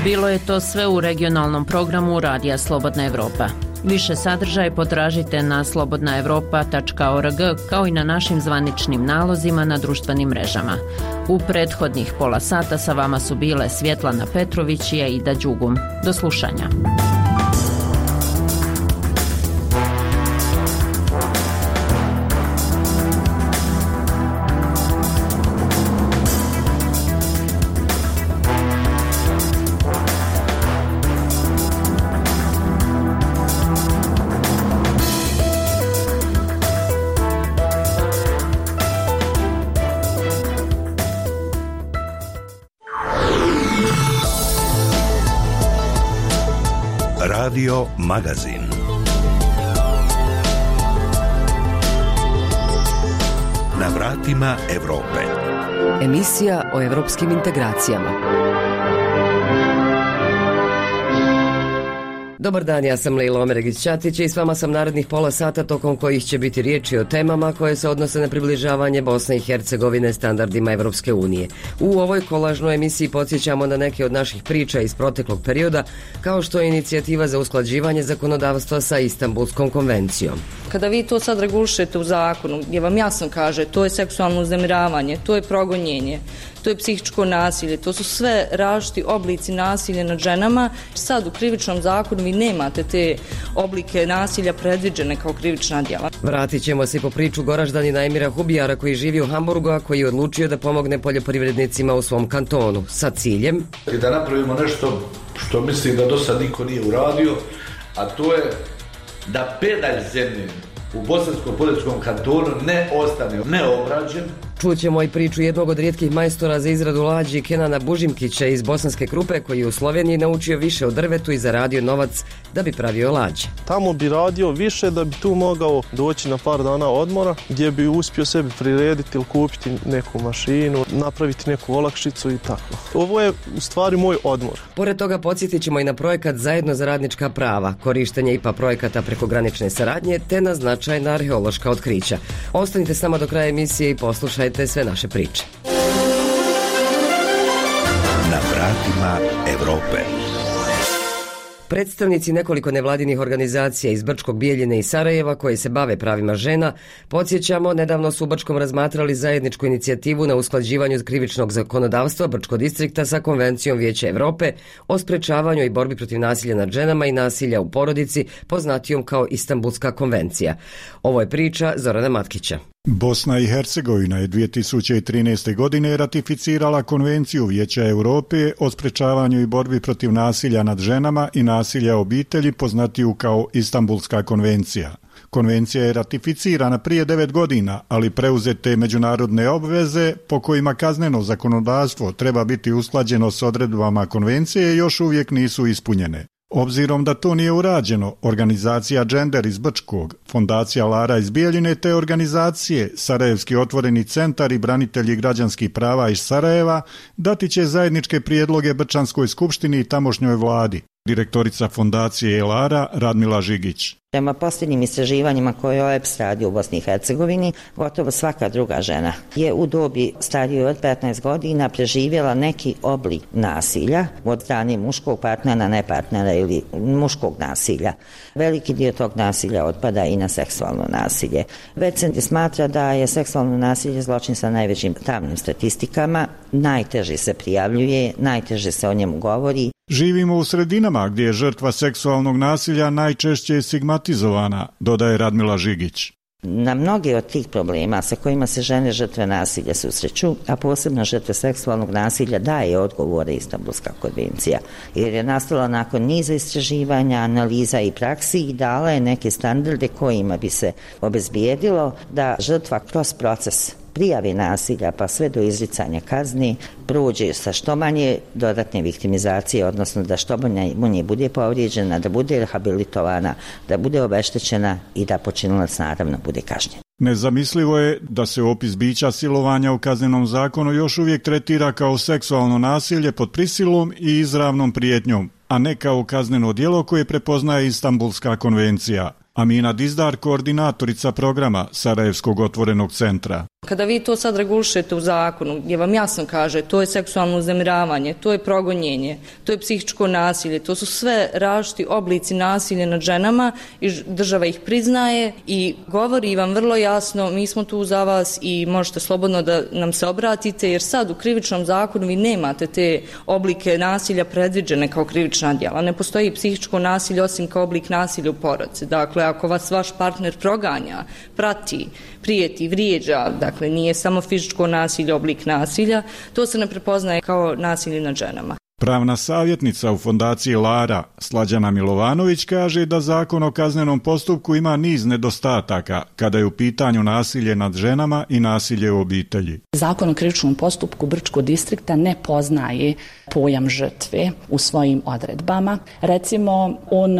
Bilo je to sve u regionalnom programu Radija Slobodna Evropa. Više sadržaja potražite na slobodnaevropa.org kao i na našim zvaničnim nalozima na društvenim mrežama. U prethodnih pola sata sa vama su bile Svjetlana Petrović i Aida Đugum. Do slušanja. Radio Magazin. Na vratima Evrope. Emisija o evropskim integracijama. Dobar dan, ja sam Lejla Omeregić-Ćatić i s vama sam narednih pola sata tokom kojih će biti riječi o temama koje se odnose na približavanje Bosne i Hercegovine standardima Evropske unije. U ovoj kolažnoj emisiji podsjećamo na neke od naših priča iz proteklog perioda, kao što je inicijativa za usklađivanje zakonodavstva sa Istanbulskom konvencijom. Kada vi to sad regulišete u zakonu, gdje vam jasno kaže to je seksualno uznemiravanje, to je progonjenje, to je psihičko nasilje, to su sve različiti oblici nasilja nad ženama. Sad u krivičnom zakonu vi nemate te oblike nasilja predviđene kao krivična djela. Vratit ćemo se po priču Goraždanina Emira Hubijara koji živi u Hamburgu, a koji je odlučio da pomogne poljoprivrednicima u svom kantonu sa ciljem da napravimo nešto što mislim da do sad niko nije uradio, a to je da pedalj zemlje u Bosansko-Poljskom kantonu ne ostane neobrađen. Čućemo i priču jednog od rijetkih majstora za izradu lađi, Kenana Bužimkića iz Bosanske Krupe, koji je u Sloveniji naučio više o drvetu i zaradio novac da bi pravio lađe. Tamo bi radio više da bi tu mogao doći na par dana odmora, gdje bi uspio sebi prirediti ili kupiti neku mašinu, napraviti neku olakšicu i tako. Ovo je u stvari moj odmor. Pored toga podsjetit ćemo i na projekat Zajedno za radnička prava, korištenje IPA projekata prekogranične saradnje, te na značajna arheološka otkrića. Ostanite s nama do kraja emisije i poslušajte sve naše priče. Na vratima Evrope. Predstavnici nekoliko nevladinih organizacija iz Brčkog, Bijeljine i Sarajeva koji se bave pravima žena, podsjećamo, nedavno su u Brčkom razmatrali zajedničku inicijativu na usklađivanju krivičnog zakonodavstva Brčkog distrikta sa Konvencijom Vijeća Evrope o sprečavanju i borbi protiv nasilja nad ženama i nasilja u porodici, poznatijom kao Istanbulska konvencija. Ovo je priča Zorana Matkića. Bosna i Hercegovina je 2013. godine ratificirala Konvenciju Vijeća Europe o sprečavanju i borbi protiv nasilja nad ženama i nasilja obitelji, poznatiju kao Istanbulska konvencija. Konvencija je ratificirana prije 9 godina, ali preuzete međunarodne obveze po kojima kazneno zakonodavstvo treba biti usklađeno s odredbama konvencije još uvijek nisu ispunjene. Obzirom da to nije urađeno, organizacija Gender iz Brčkog, fondacija Lara iz Bijeljine te organizacije Sarajevski otvoreni centar i branitelji građanskih prava iz Sarajeva dati će zajedničke prijedloge Brčanskoj skupštini i tamošnjoj vladi. Direktorica fondacije Lara Radmila Žigić. Prema posljednjim istraživanjima koje OEBS radi u Bosni i Hercegovini, gotovo svaka druga žena je u dobi starijoj od 15 godina preživjela neki oblik nasilja od strane muškog partnera, ne partnera ili muškog nasilja. Veliki dio tog nasilja otpada i na seksualno nasilje. Već se smatra da je seksualno nasilje zločin sa najvećim tamnim statistikama, najteže se prijavljuje, najteže se o njemu govori. Živimo u sredinama gdje je žrtva seksualnog nasilja najčešće stigmatizovana, dodaje Radmila Žigić. Na mnoge od tih problema sa kojima se žene žrtve nasilja susreću, a posebno žrtve seksualnog nasilja, daje odgovore Istanbulska konvencija, jer je nastala nakon niza istraživanja, analiza i praksi i dala je neke standarde kojima bi se obezbijedilo da žrtva kroz proces prijave nasilja pa sve do izricanja kazni prođe sa što manje dodatne viktimizacije, odnosno da što manje bude povrijeđena, da bude rehabilitovana, da bude obeštećena i da počinilac naravno bude kažnjen. Nezamislivo je da se opis bića silovanja u kaznenom zakonu još uvijek tretira kao seksualno nasilje pod prisilom i izravnom prijetnjom, a ne kao kazneno djelo koje prepoznaje Istanbulska konvencija. Amina Dizdar, koordinatorica programa Sarajevskog otvorenog centra. Kada vi to sad regulišete u zakonu, gdje vam jasno kaže to je seksualno uznemiravanje, to je progonjenje, to je psihičko nasilje, to su sve različiti oblici nasilja nad ženama i država ih priznaje i govori vam vrlo jasno, mi smo tu za vas i možete slobodno da nam se obratite, jer sad u krivičnom zakonu vi nemate te oblike nasilja predviđene kao krivična djela. Ne postoji psihičko nasilje osim kao oblik nasilja u porodici. Dakle, ako vas vaš partner proganja, prati, prijeti, vrijeđa, dakle nije samo fizičko nasilje oblik nasilja, to se ne prepoznaje kao nasilje nad ženama. Pravna savjetnica u fondaciji Lara, Slađana Milovanović, kaže da Zakon o kaznenom postupku ima niz nedostataka kada je u pitanju nasilje nad ženama i nasilje u obitelji. Zakon o krivičnom postupku Brčkog distrikta ne poznaje pojam žrtve u svojim odredbama. Recimo, on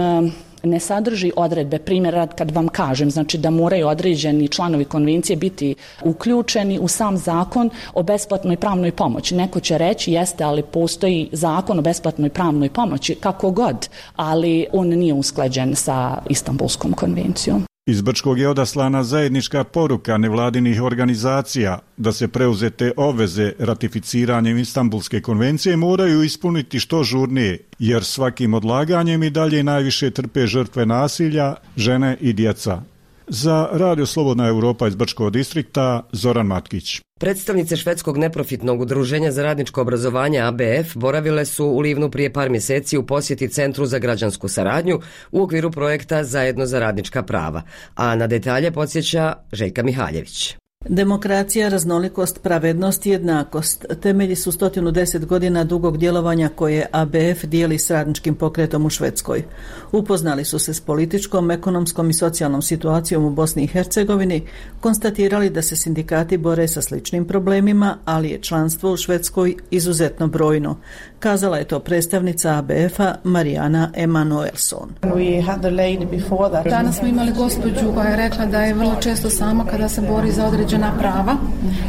ne sadrži odredbe, primjer kad vam kažem, znači da moraju određeni članovi konvencije biti uključeni u sam zakon o besplatnoj pravnoj pomoći. Neko će reći jeste, ali postoji zakon o besplatnoj pravnoj pomoći, kako god, ali on nije usklađen sa Istanbulskom konvencijom. Iz Brčkog je odaslana zajednička poruka nevladinih organizacija da se preuzete obveze ratificiranjem Istanbulske konvencije moraju ispuniti što žurnije, jer svakim odlaganjem i dalje najviše trpe žrtve nasilja, žene i djeca. Za Radio Slobodna Europa iz Brčkog distrikta, Zoran Matkić. Predstavnice švedskog neprofitnog udruženja za radničko obrazovanje ABF boravile su u Livnu prije par mjeseci u posjeti Centru za građansku saradnju u okviru projekta Zajedno za radnička prava, a na detalje podsjeća Željka Mihaljević. Demokracija, raznolikost, pravednost i jednakost temelji su 110 godina dugog djelovanja koje ABF dijeli s radničkim pokretom u Švedskoj. Upoznali su se s političkom, ekonomskom i socijalnom situacijom u Bosni i Hercegovini, konstatirali da se sindikati bore sa sličnim problemima, ali je članstvo u Švedskoj izuzetno brojno. Kazala je to predstavnica ABF-a Marijana Emanuelson. Danas smo imali gospođu koja je rekla da je vrlo često sama kada se bori za određena prava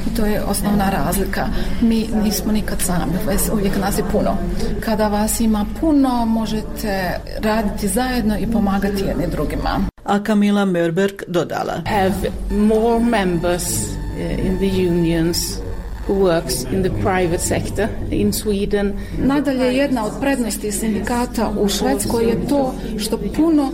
i to je osnovna razlika. Mi nismo nikad sami, uvijek nas je puno. Kada vas ima puno, možete raditi zajedno i pomagati jedni drugima. A Kamila Mörberg dodala: Have more members in the unions who works in the private sector in Sweden. Nadalje, jedna od prednosti sindikata u Švedskoj je to što puno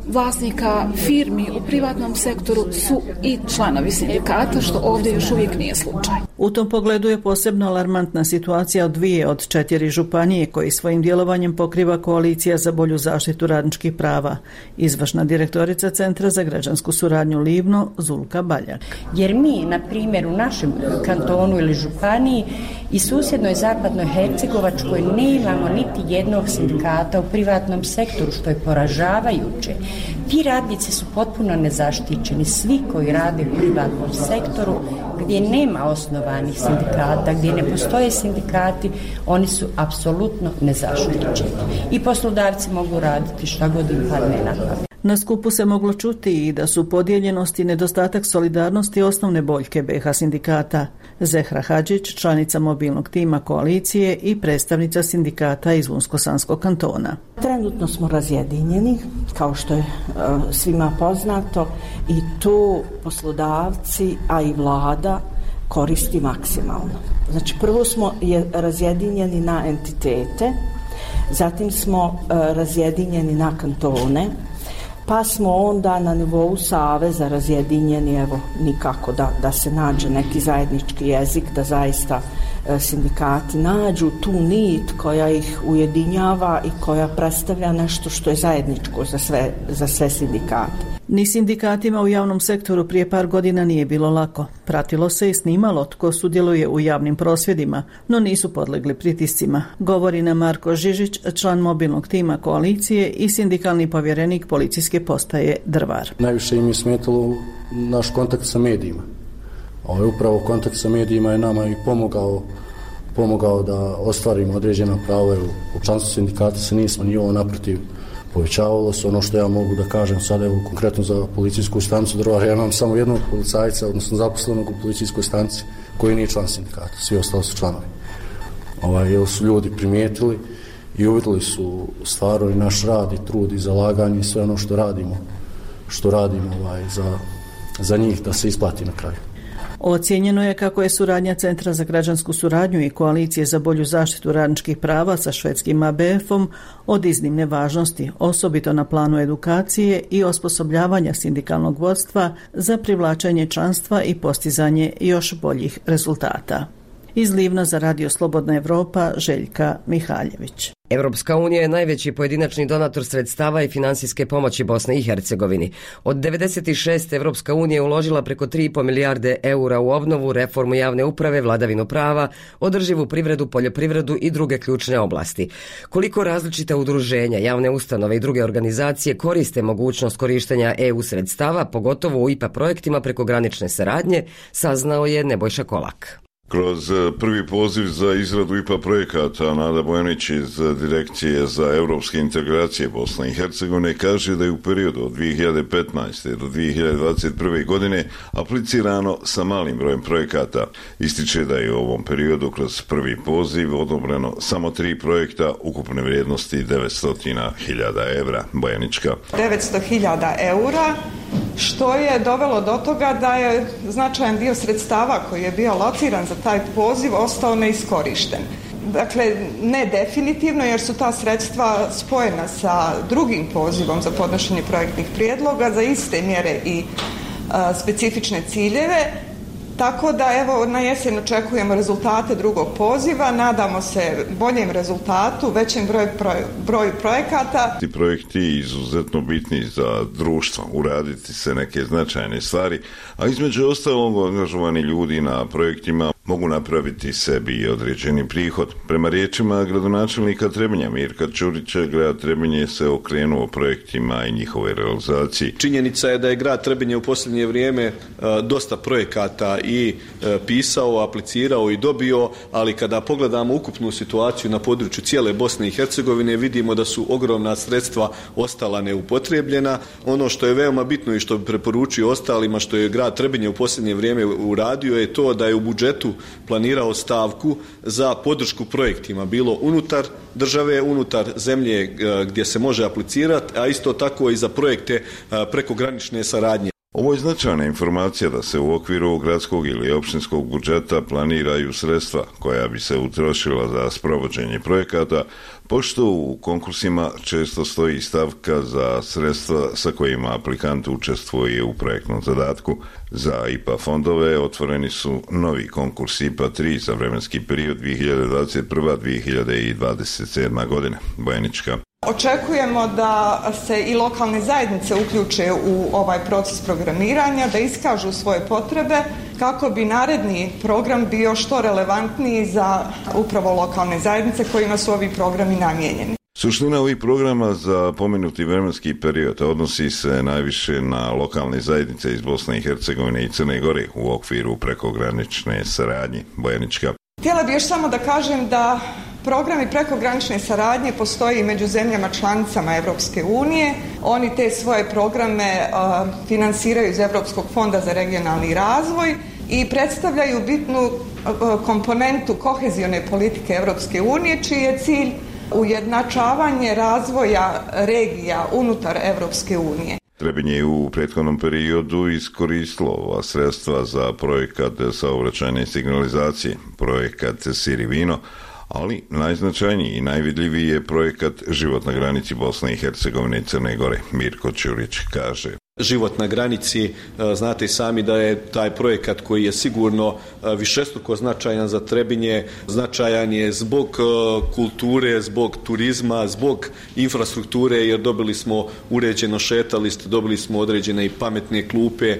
vlasnika firmi u privatnom sektoru su i članovi sindikata, što ovdje još uvijek nije slučaj. U tom pogledu je posebno alarmantna situacija od 2 od 4 županije koji svojim djelovanjem pokriva Koalicija za bolju zaštitu radničkih prava. Izvršna direktorica Centra za građansku suradnju Livno, Zulka Baljak. Jer mi, na primjer, u našem kantonu ili županiji i susjednoj zapadnoj Hercegovačkoj nemamo niti jednog sindikata u privatnom sektoru, što je poražavajuće. Ti radnici su potpuno nezaštićeni, svi koji rade u privatnom sektoru gdje nema osnovanih sindikata, gdje ne postoje sindikati, oni su apsolutno nezaštićeni. I poslodavci mogu raditi šta god im padne na pamet. Na skupu se moglo čuti i da su podijeljenost i nedostatak solidarnosti osnovne boljke BH sindikata. Zehra Hadžić, članica mobilnog tima koalicije i predstavnica sindikata iz Unsko-Sanskog kantona. Trenutno smo razjedinjeni, kao što je svima poznato, i tu poslodavci, a i vlada koristi maksimalno. Znači, prvo smo razjedinjeni na entitete, zatim smo razjedinjeni na kantone, pa smo onda na nivou saveza razjedinjeni, evo, nikako da se nađe neki zajednički jezik, da zaista sindikati nađu tu nit koja ih ujedinjava i koja predstavlja nešto što je zajedničko za sve sindikate. Ni sindikatima u javnom sektoru prije par godina nije bilo lako. Pratilo se i snimalo tko sudjeluje u javnim prosvjedima, no nisu podlegli pritiscima. Govori nam Marko Žižić, član mobilnog tima koalicije i sindikalni povjerenik policijske postaje Drvar. Najviše im je smetalo naš kontakt sa medijima. Upravo kontakt sa medijima je nama i pomogao da ostvarimo određena prava. U članstvu sindikata se nismo ni ovo naprotiv povećavalo se. Ono što ja mogu da kažem sada, evo konkretno za policijsku stanicu Drvar, ja imam samo jednog policajca, odnosno zaposlenog u policijskoj stanici koji nije član sindikata, svi ostali su članovi. Jer su ljudi primijetili i uvidjeli su stvarno i naš rad i trud i zalaganje i sve ono što radimo za njih da se isplati na kraju. Ocijenjeno je kako je suradnja Centra za građansku suradnju i Koalicije za bolju zaštitu radničkih prava sa švedskim ABF-om od iznimne važnosti, osobito na planu edukacije i osposobljavanja sindikalnog vodstva za privlačenje članstva i postizanje još boljih rezultata. Iz Livna za Radio Slobodna Evropa, Željka Mihaljević. Evropska unija je najveći pojedinačni donator sredstava i finansijske pomoći Bosni i Hercegovini. Od 96. Evropska unija je uložila preko 3,5 milijarde eura u obnovu, reformu javne uprave, vladavinu prava, održivu privredu, poljoprivredu i druge ključne oblasti. Koliko različita udruženja, javne ustanove i druge organizacije koriste mogućnost korištenja EU sredstava, pogotovo u IPA projektima prekogranične saradnje, saznao je Nebojša Kolak. Kroz prvi poziv za izradu IPA projekata Nada Bojanić iz Direkcije za europske integracije Bosne i Hercegovine kaže da je u periodu od 2015. do 2021. godine aplicirano sa malim brojem projekata. Ističe da je u ovom periodu kroz prvi poziv odobreno samo 3 projekta ukupne vrijednosti 900.000 evra. Bojanička. 900.000 eura, što je dovelo do toga da je značajan dio sredstava koji je bio lociran za taj poziv ostao neiskorišten. Dakle, ne definitivno, jer su ta sredstva spojena sa drugim pozivom za podnošenje projektnih prijedloga za iste mjere i specifične ciljeve. Tako da, evo, na jesen očekujemo rezultate drugog poziva, nadamo se boljem rezultatu, većem broju projekata. Ti projekti izuzetno bitni za društvo, uraditi se neke značajne stvari, a između ostalog angažovani ljudi na projektima mogu napraviti sebi određeni prihod. Prema riječima gradonačelnika Trebinja Mirka Ćurića, grad Trebinje se okrenuo projektima i njihove realizaciji. Činjenica je da je grad Trebinje u posljednje vrijeme dosta projekata i pisao, aplicirao i dobio, ali kada pogledamo ukupnu situaciju na području cijele Bosne i Hercegovine, vidimo da su ogromna sredstva ostala neupotrijebljena. Ono što je veoma bitno i što bi preporučio ostalima, što je grad Trebinje u posljednje vrijeme uradio, je to da je u budžetu planirao stavku za podršku projektima, bilo unutar države, unutar zemlje gdje se može aplicirati, a isto tako i za projekte prekogranične saradnje. Ovo je značajna informacija da se u okviru gradskog ili općinskog budžeta planiraju sredstva koja bi se utrošila za sprovođenje projekata, pošto u konkursima često stoji stavka za sredstva sa kojima aplikant učestvuje u projektnom zadatku. Za IPA fondove otvoreni su novi konkurs IPA 3 za vremenski period 2021-2027 godina. Bojanička. Očekujemo da se i lokalne zajednice uključe u ovaj proces programiranja, da iskažu svoje potrebe kako bi naredni program bio što relevantniji za upravo lokalne zajednice kojima su ovi programi namijenjeni. Suština ovih programa za pomenuti vremenski period odnosi se najviše na lokalne zajednice iz Bosne i Hercegovine i Crne Gore u okviru prekogranične saradnje. Bojanička. Htjela bih još samo da kažem da programi prekogranične saradnje postoji i među zemljama članicama Europske unije. Oni te svoje programe finansiraju iz Europskog fonda za regionalni razvoj i predstavljaju bitnu komponentu kohezione politike Europske unije, čiji je cilj ujednačavanje razvoja regija unutar Europske unije. Trebinje je u prethodnom periodu iskoristilo ova sredstva za projekat saobraćajne signalizacije, projekat Siri Vino, ali najznačajniji i najvidljiviji je projekat Život na granici Bosne i Hercegovine i Crne Gore. Mirko Ćurić kaže. Život na granici, znate i sami da je taj projekat koji je sigurno višestruko značajan za Trebinje, značajan je zbog kulture, zbog turizma, zbog infrastrukture, jer dobili smo uređeno šetalište, dobili smo određene i pametne klupe,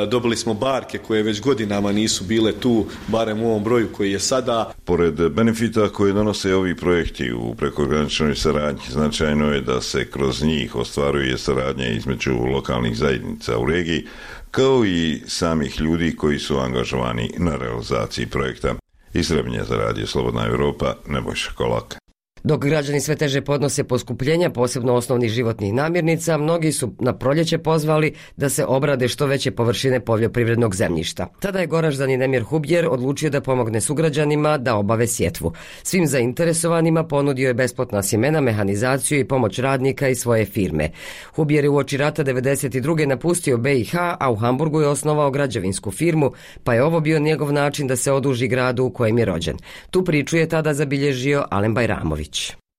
dobili smo barke koje već godinama nisu bile tu, barem u ovom broju koji je sada. Pored benefita koje donose ovi projekti u prekograničnoj saradnji, značajno je da se kroz njih ostvaruje saradnja između lokalnih zajednica u regiji, kao i samih ljudi koji su angažovani na realizaciji projekta. Iz Trebinja za Radio Slobodna Evropa, Nebojša Kolak. Dok građani sve teže podnose poskupljenja, posebno osnovnih životnih namirnica, mnogi su na proljeće pozvali da se obrade što veće površine poljoprivrednog zemljišta. Tada je Goraždanin Emir Hubjer odlučio da pomogne sugrađanima da obave sjetvu. Svim zainteresovanima ponudio je besplatna sjemena, mehanizaciju i pomoć radnika i svoje firme. Hubjer je uoči rata 1992. napustio BiH, a u Hamburgu je osnovao građevinsku firmu, pa je ovo bio njegov način da se oduži gradu u kojem je rođen. Tu priču je tada zabilježio Alen Bajramović.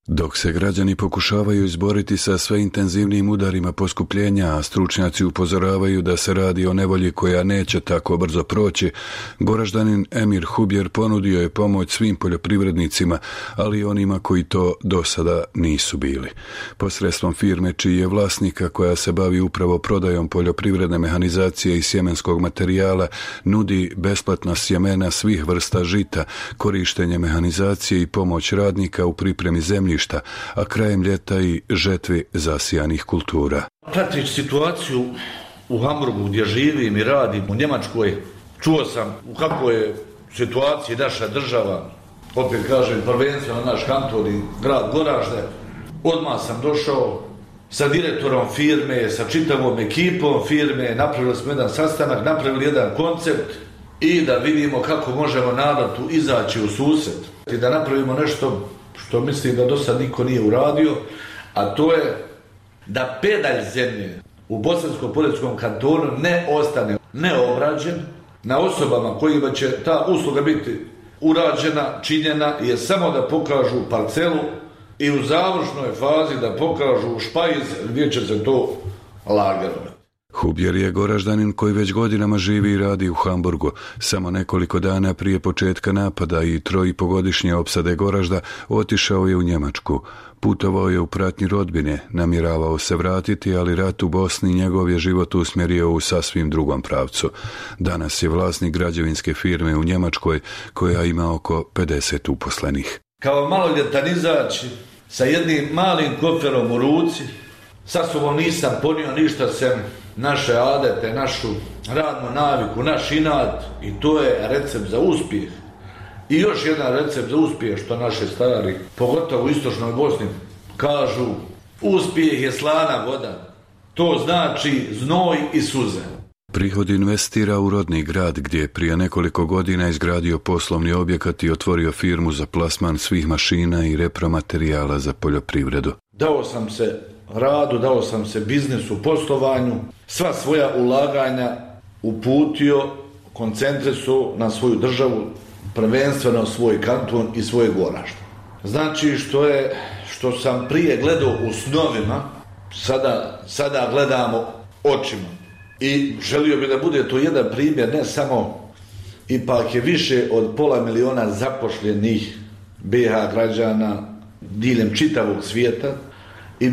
Dok se građani pokušavaju izboriti sa sve intenzivnijim udarima poskupljenja, a stručnjaci upozoravaju da se radi o nevolji koja neće tako brzo proći, Goraždanin Emir Hubjer ponudio je pomoć svim poljoprivrednicima, ali i onima koji to do sada nisu bili. Posredstvom firme čiji je vlasnika, koja se bavi upravo prodajom poljoprivredne mehanizacije i sjemenskog materijala, nudi besplatna sjemena svih vrsta žita, korištenje mehanizacije i pomoć radnika u pripremi zemljišta, a krajem ljeta i žetvi zasijanih kultura. Pratići situaciju u Hamburgu gdje živim i radim, u Njemačkoj, čuo sam u kakvoj je situaciji naša država, opet kažem prvenstveno naš kanton i grad Goražde. Odmah sam došao sa direktorom firme, sa čitavom ekipom firme, napravili smo jedan sastanak, napravili jedan koncept i da vidimo kako možemo narodu izaći u susret i da napravimo nešto što mislim da do sad niko nije uradio, a to je da pedalj zemlje u Bosansko-Poljskom kantonu ne ostane neobrađen, na osobama kojima će ta usluga biti urađena, činjena, je samo da pokažu parcelu i u završnoj fazi da pokažu špajz gdje će se to lagati. Hubjer je Goraždanin koji već godinama živi i radi u Hamburgu. Samo nekoliko dana prije početka napada i 3,5-godišnje opsade Goražda otišao je u Njemačku. Putovao je u pratnji rodbine, namjeravao se vratiti, ali rat u Bosni njegov je život usmjerio u sasvim drugom pravcu. Danas je vlasnik građevinske firme u Njemačkoj koja ima oko 50 uposlenih. Kao maloljetan izaći sa jednim malim koferom u ruci, sa sobom nisam ponio ništa sem naše adete, našu radnu naviku, naš inat, i to je recept za uspjeh. I još jedan recept za uspjeh, što naše stari, pogotovo u istočnoj Bosni, kažu: uspjeh je slana voda. To znači znoj i suze. Prihod investira u rodni grad gdje je prije nekoliko godina izgradio poslovni objekat i otvorio firmu za plasman svih mašina i repromaterijala za poljoprivredu. Dao sam se radu, dao sam se biznisu, poslovanju, sva svoja ulaganja uputio, koncentrisao na svoju državu, prvenstveno svoj kanton i svoje Goražde. Znači što sam prije gledao u snovima, sada gledamo očima. I želio bi da bude to jedan primjer, ne samo, ipak je više od 500.000 zapošljenih BiH građana diljem čitavog svijeta. I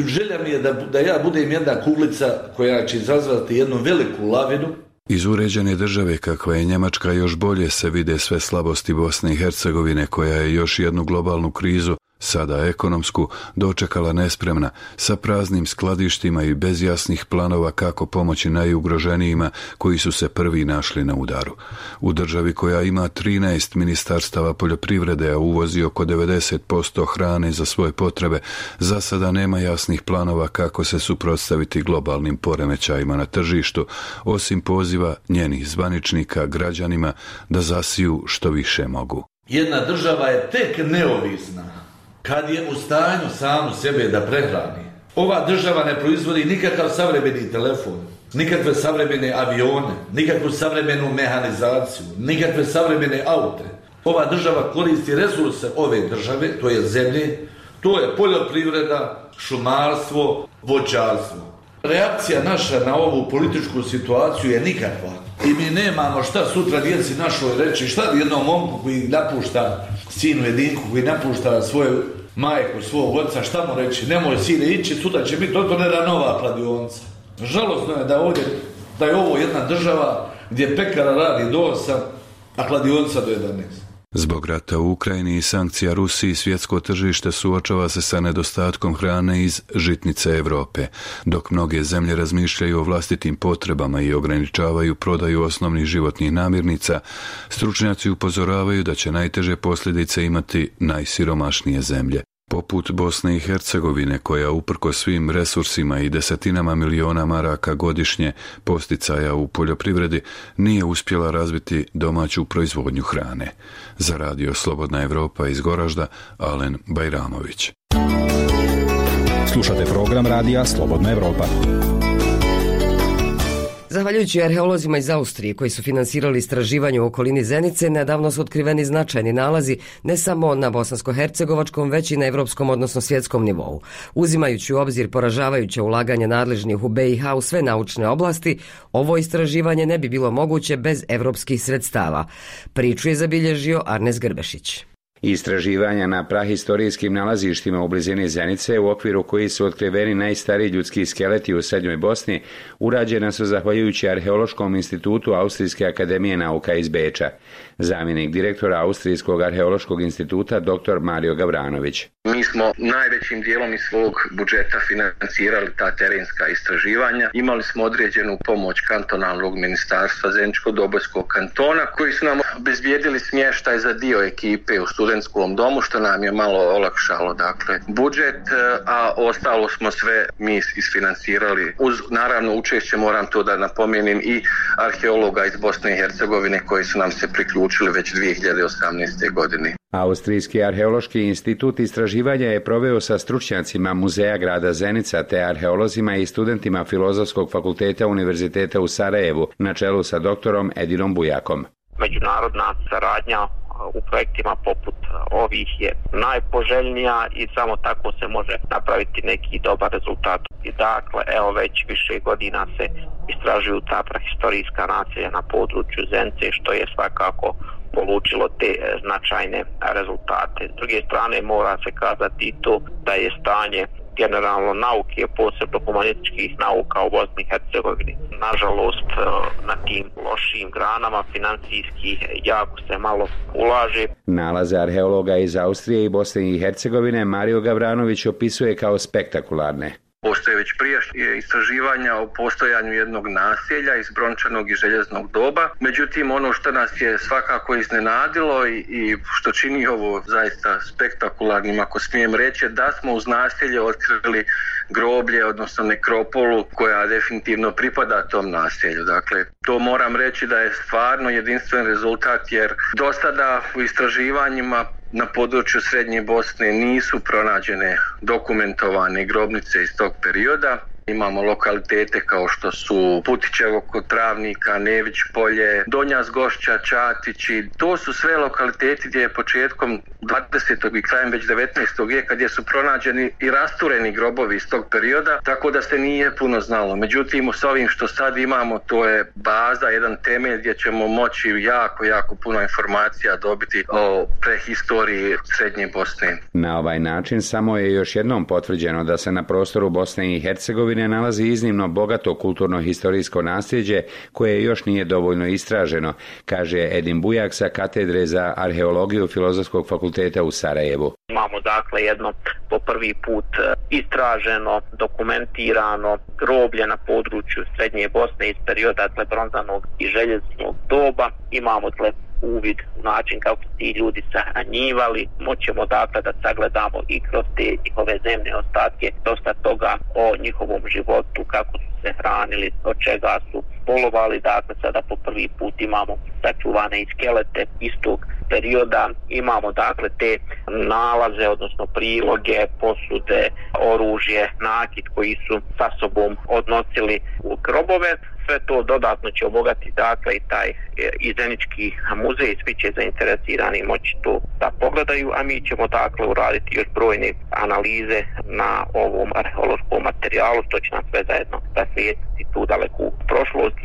želja mi je da ja budem jedna kuglica koja će izazvati jednu veliku lavinu. Iz uređene države kakva je Njemačka još bolje se vide sve slabosti Bosne i Hercegovine, koja je još jednu globalnu krizu, sada ekonomsku, dočekala nespremna, sa praznim skladištima i bez jasnih planova kako pomoći najugroženijima koji su se prvi našli na udaru. U državi koja ima 13 ministarstava poljoprivrede, a uvozi oko 90% hrane za svoje potrebe, za sada nema jasnih planova kako se suprotstaviti globalnim poremećajima na tržištu, osim poziva njenih zvaničnika građanima da zasiju što više mogu. Jedna država je tek neovisna kad je u stanju samu sebe da prehrani. Ova država ne proizvodi nikakav savremeni telefon, nikakve savremene avione, nikakvu savremenu mehanizaciju, nikakve savremene aute. Ova država koristi resurse ove države, to je zemlje, to je poljoprivreda, šumarstvo, voćarstvo. Reakcija naša na ovu političku situaciju je nikakva. I mi nemamo šta sutra djeci našoj reći, šta jednom momku koji napušta, sinu jedinku koji napušta svoju majku, svog oca, šta mu reći, nemoj sine ići, sutra će biti otvorena nova kladionica. Žalosno je da je ovo jedna država gdje pekara radi do 8, a kladionica do 11. Zbog rata u Ukrajini i sankcija Rusiji, svjetsko tržište suočava se sa nedostatkom hrane iz žitnice Europe. Dok mnoge zemlje razmišljaju o vlastitim potrebama i ograničavaju prodaju osnovnih životnih namirnica, stručnjaci upozoravaju da će najteže posljedice imati najsiromašnije zemlje. Poput Bosne i Hercegovine, koja uprko svim resursima i desetinama miliona maraka godišnje posticaja u poljoprivredi nije uspjela razviti domaću proizvodnju hrane. Za Radio Slobodna Evropa iz Goražda, Alen Bajramović. Slušate program Radija Slobodna Evropa. Zahvaljujući arheolozima iz Austrije koji su finansirali istraživanje u okolini Zenice, nedavno su otkriveni značajni nalazi ne samo na bosansko-hercegovačkom, već i na evropskom, odnosno svjetskom nivou. Uzimajući u obzir poražavajuće ulaganje nadležnih u BiH u sve naučne oblasti, ovo istraživanje ne bi bilo moguće bez evropskih sredstava. Priču je zabilježio Arnes Grbešić. Istraživanja na prahistorijskim nalazištima u blizini Zenice, u okviru koji su otkriveni najstariji ljudski skeleti u Srednjoj Bosni, urađena su zahvaljujući Arheološkom institutu Austrijske akademije nauka iz Beča. Zamjenik direktora Austrijskog arheološkog instituta dr. Mario Gavranović. Mi smo najvećim dijelom iz svog budžeta financirali ta terenska istraživanja. Imali smo određenu pomoć kantonalnog ministarstva Zeničko-Dobojskog kantona, koji su nam obezbijedili smještaj za dio ekipe u studentskom domu, što nam je malo olakšalo budžet, a ostalo smo sve mi isfinansirali. Uz naravno učešće, moram to da napomenem, i arheologa iz Bosne i Hercegovine koji su nam se priključili već 2018. godine. Austrijski arheološki institut istraživanja je proveo sa stručnjacima Muzeja grada Zenica te arheolozima i studentima Filozofskog fakulteta Univerziteta u Sarajevu na čelu sa doktorom Edinom Bujakom. Međunarodna saradnja u projektima poput ovih je najpoželjnija i samo tako se može napraviti neki dobar rezultat. I dakle, evo već više godina se istražuju ta prahistorijska naselja na području Zenice, što je svakako polučilo te značajne rezultate. S druge strane, mora se kazati to da je stanje generalno nauke, posebno humanističkih nauka u Bosni i Hercegovini. Nažalost, na tim lošim granama financijski jako se malo ulaže. Nalaze arheologa iz Austrije i Bosne i Hercegovine Mario Gavranović opisuje kao spektakularne. Postoje već prijašnje istraživanja o postojanju jednog naselja iz brončanog i željeznog doba. Međutim, ono što nas je svakako iznenadilo i što čini ovo zaista spektakularnim, ako smijem reći, da smo uz naselje otkrili groblje, odnosno nekropolu koja definitivno pripada tom naselju. Dakle, to moram reći da je stvarno jedinstven rezultat, jer do sada u istraživanjima na području Srednje Bosne nisu pronađene dokumentovane grobnice iz tog perioda. Imamo lokalitete kao što su Putićevo kod Travnika, Nević polje, Donja Zgošća, Čatići. To su sve lokaliteti gdje je početkom 20. i krajem već 19. vijeka gdje su pronađeni i rastureni grobovi iz tog perioda, tako da se nije puno znalo. Međutim, s ovim što sad imamo, to je baza, jedan temelj gdje ćemo moći jako puno informacija dobiti o prehistoriji Srednje Bosne. Na ovaj način samo je još jednom potvrđeno da se na prostoru Bosne i Hercegovine nalazi iznimno bogato kulturno-historijsko nasljeđe koje još nije dovoljno istraženo, kaže Edin Bujak sa katedre za arheologiju Filozofskog fakulteta u Sarajevu. Imamo dakle jedno po prvi put istraženo, dokumentirano groblje na području Srednje Bosne iz perioda bronzanog i željeznog doba. Imamo uvid u način kako su ti ljudi sahranjivali. Moćemo dakle da sagledamo i kroz te njihove zemne ostatke dosta toga o njihovom životu, kako su se hranili, od čega su polovali. Dakle, sada po prvi put imamo sačuvane i skelete istog perioda. Imamo dakle te nalaze, odnosno priloge, posude, oružje, nakit koji su sa sobom odnosili u grobove. Sve to dodatno će obogatiti dakle i taj Zenički muzej, svi će zainteresirani moći to da pogledaju, a mi ćemo dakle uraditi još brojne analize na ovom arheološkom materijalu, što će nam sve zajedno rasvijetliti tu daleku prošlost.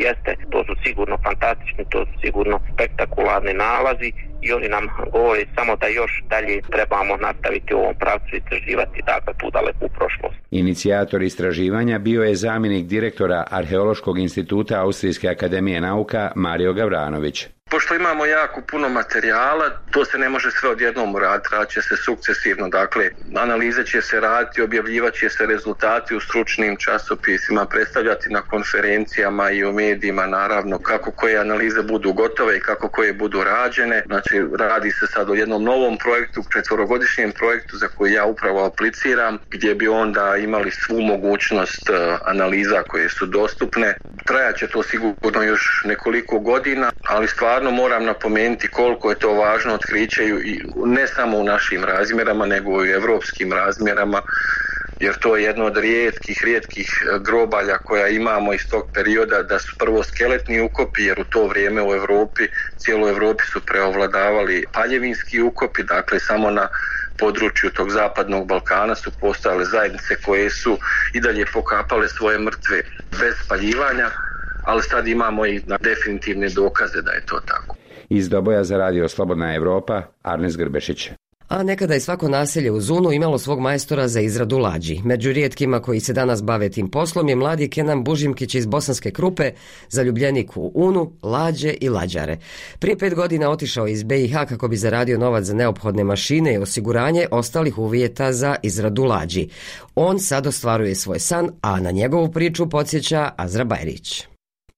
To su sigurno fantastični, to su sigurno spektakularni nalazi i oni nam govore samo da još dalje trebamo nastaviti u ovom pravcu istraživati dakle tu daleku prošlost. Inicijator istraživanja bio je zamjenik direktora Arheološkog instituta Austrijske akademije nauka Mario Gavranović. Pošto imamo jako puno materijala, to se ne može sve odjednom uraditi, radit će se sukcesivno, dakle analize će se raditi, objavljivat će se rezultati u stručnim časopisima, predstavljati na konferencijama i u medijima naravno kako koje analize budu gotove i kako koje budu rađene. Znači radi se sad o jednom novom projektu, 4-godišnjem projektu za koji ja upravo apliciram, gdje bi onda imali svu mogućnost analiza koje su dostupne. Trajat će to sigurno još nekoliko godina, ali stvarno moram napomenuti koliko je to važno otkriće i ne samo u našim razmjerama, nego i u evropskim razmjerama, jer to je jedno od rijetkih grobalja koja imamo iz tog perioda, da su prvo skeletni ukopi, jer u to vrijeme u Europi, cijeloj Europi su preovladavali paljevinski ukopi, dakle samo na području tog zapadnog Balkana su postojale zajednice koje su i dalje pokapale svoje mrtve bez spaljivanja, ali sad imamo i definitivne dokaze da je to tako. Iz Doboja za radio Slobodna Evropa, Arnes Grbešić. A nekada je svako naselje u Unu imalo svog majstora za izradu lađi. Među rijetkima koji se danas bave tim poslom je mladi Kenan Bužimkić iz Bosanske Krupe, zaljubljenik u Unu, lađe i lađare. Prije 5 godina otišao iz BiH kako bi zaradio novac za neophodne mašine i osiguranje ostalih uvjeta za izradu lađi. On sad ostvaruje svoj san, a na njegovu priču podsjeća Azra Bajrić.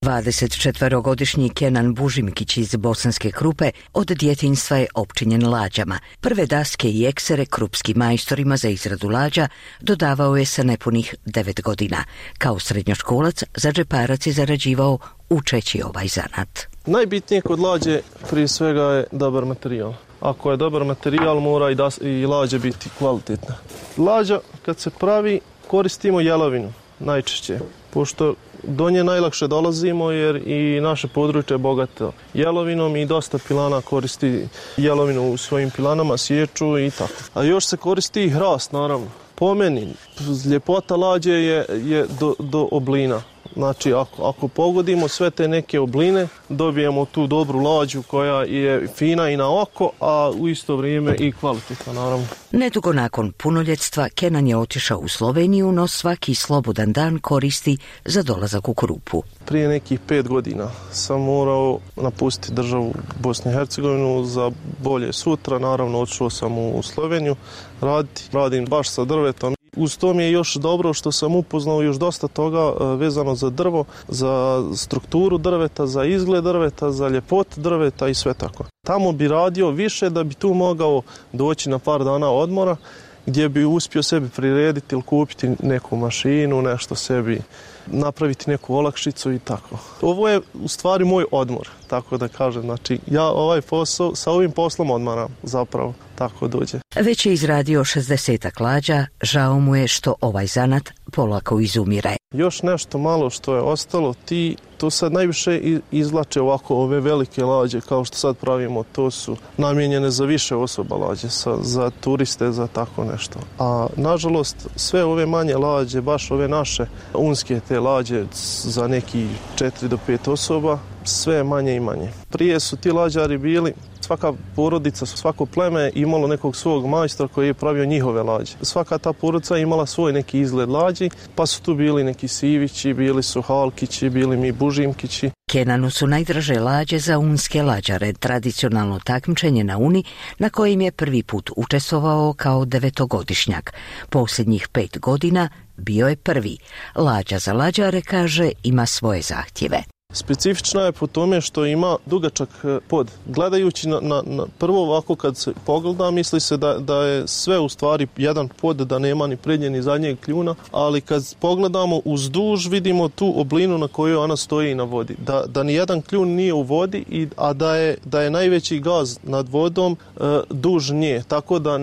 24-godišnji Kenan Bužimkić iz Bosanske Krupe od djetinjstva je opčinjen lađama. Prve daske i eksere krupskim majstorima za izradu lađa dodavao je sa nepunih 9 godina. Kao srednjoškolac za džeparac je zarađivao učeći ovaj zanat. Najbitnije kod lađe prije svega je dobar materijal. Ako je dobar materijal, mora i lađa biti kvalitetna. Lađa kad se pravi koristimo jelovinu najčešće, pošto do nje najlakše dolazimo jer i naše područje je bogato jelovinom i dosta pilana koristi jelovinu u svojim pilanama, sječu i tako. A još se koristi i hrast, naravno. Po meni, ljepota lađe je do oblina. Znači, ako pogodimo sve te neke obline, dobijemo tu dobru lađu koja je fina i na oko, a u isto vrijeme i kvalitetna, naravno. Nedugo nakon punoljetstva, Kenan je otišao u Sloveniju, no svaki slobodan dan koristi za dolazak u Krupu. Prije nekih 5 godina sam morao napustiti državu Bosnu i Hercegovinu za bolje sutra. Naravno, otišao sam u Sloveniju raditi. Radim baš sa drvetom. Uz to mi je još dobro što sam upoznao još dosta toga vezano za drvo, za strukturu drveta, za izgled drveta, za ljepotu drveta i sve tako. Tamo bi radio više da bi tu mogao doći na par dana odmora gdje bi uspio sebi prirediti ili kupiti neku mašinu, nešto sebi, napraviti neku olakšicu i tako. Ovo je u stvari moj odmor, tako da kažem. Znači, ja sa ovim poslom odmaram zapravo, tako dođe. Već je izradio 60 lađa, žao mu je što ovaj zanat polako izumire. Još nešto malo što je ostalo, to sad najviše izvlače ovako ove velike lađe kao što sad pravimo, to su namijenjene za više osoba lađe, za turiste, za tako nešto. A nažalost sve ove manje lađe, baš ove naše unske te lađe za neki 4 do 5 osoba, sve manje i manje. Prije su ti lađari bili, svaka porodica, svako pleme imalo nekog svog majstora koji je pravio njihove lađe. Svaka ta porodica imala svoj neki izgled lađi, pa su tu bili neki Sivići, bili su Halkići, bili mi Bužimkići. Kenanu su najdraže lađe za unske lađare, tradicionalno takmičenje na Uni na kojim je prvi put učestvovao kao 9-godišnjak. Posljednjih 5 godina bio je prvi. Lađa za lađare, kaže, ima svoje zahtjeve. Specifična je po tome što ima dugačak pod. Gledajući na prvo ovako kad se pogleda, misli se da je sve u stvari jedan pod, da nema ni prednje ni zadnjeg kljuna, ali kad pogledamo uzduž vidimo tu oblinu na kojoj ona stoji na vodi. Da ni jedan kljun nije u vodi, a da je najveći gaz nad vodom duž nje, tako da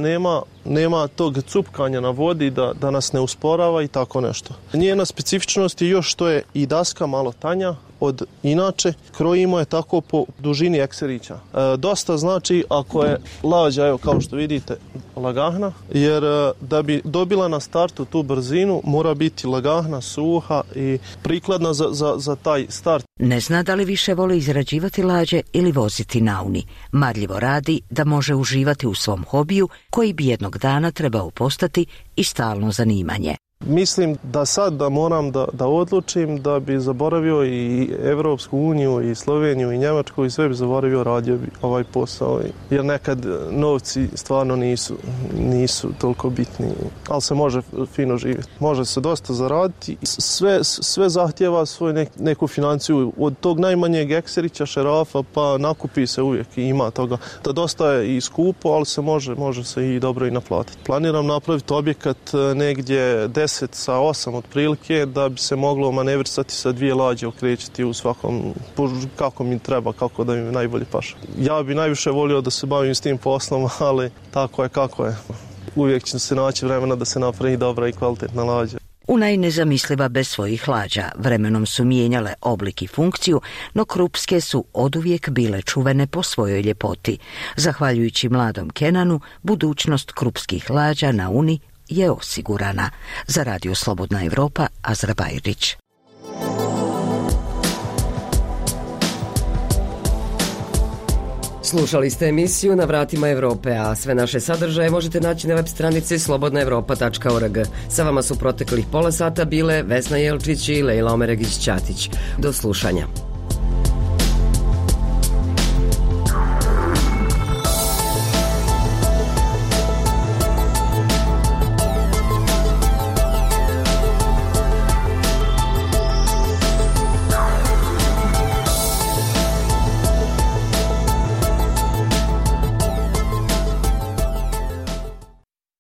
nema tog cupkanja na vodi, da nas ne usporava i tako nešto. Njena specifičnost je još što je i daska malo tanja od inače, krojimo je tako po dužini ekserića. Dosta znači ako je lađa, evo kao što vidite, lagahna, jer da bi dobila na startu tu brzinu mora biti lagahna, suha i prikladna za taj start. Ne zna da li više voli izrađivati lađe ili voziti na Uni. Marljivo radi da može uživati u svom hobiju koji bi jednog dana trebao postati i stalno zanimanje. Mislim da sad da moram da odlučim da bi zaboravio i Evropsku uniju i Sloveniju i Njemačku i sve bi zaboravio, radio bi ovaj posao. Jer nekad novci stvarno nisu toliko bitni, ali se može fino živjeti. Može se dosta zaraditi. Sve zahtjeva svoju neku financiju. Od tog najmanjeg ekserića, šerafa, pa nakupi se uvijek i ima toga. Da dosta je i skupo, ali se može se i dobro i naplatiti. Planiram napraviti objekat negdje 10 sa 8 otprilike, da bi se moglo manevrisati sa 2 lađe, okrećiti u svakom, kako mi treba, kako da mi najbolje paše. Ja bi najviše volio da se bavim s tim poslom, ali tako je kako je. Uvijek će se naći vremena da se napravi dobra i kvalitetna lađa. Una je nezamisliva bez svojih lađa. Vremenom su mijenjale oblik i funkciju, no krupske su oduvijek bile čuvene po svojoj ljepoti. Zahvaljujući mladom Kenanu, budućnost krupskih lađa na Uni je osigurana. Za Radio Slobodna Evropa, Azra Bajrić. Slušali ste emisiju Na vratima Evrope, a sve naše sadržaje možete naći na web stranici slobodnaevropa.org. Sa vama su proteklih pola sata bile Vesna Jelčić i Lejla Omeregić-Ćatić. Do slušanja.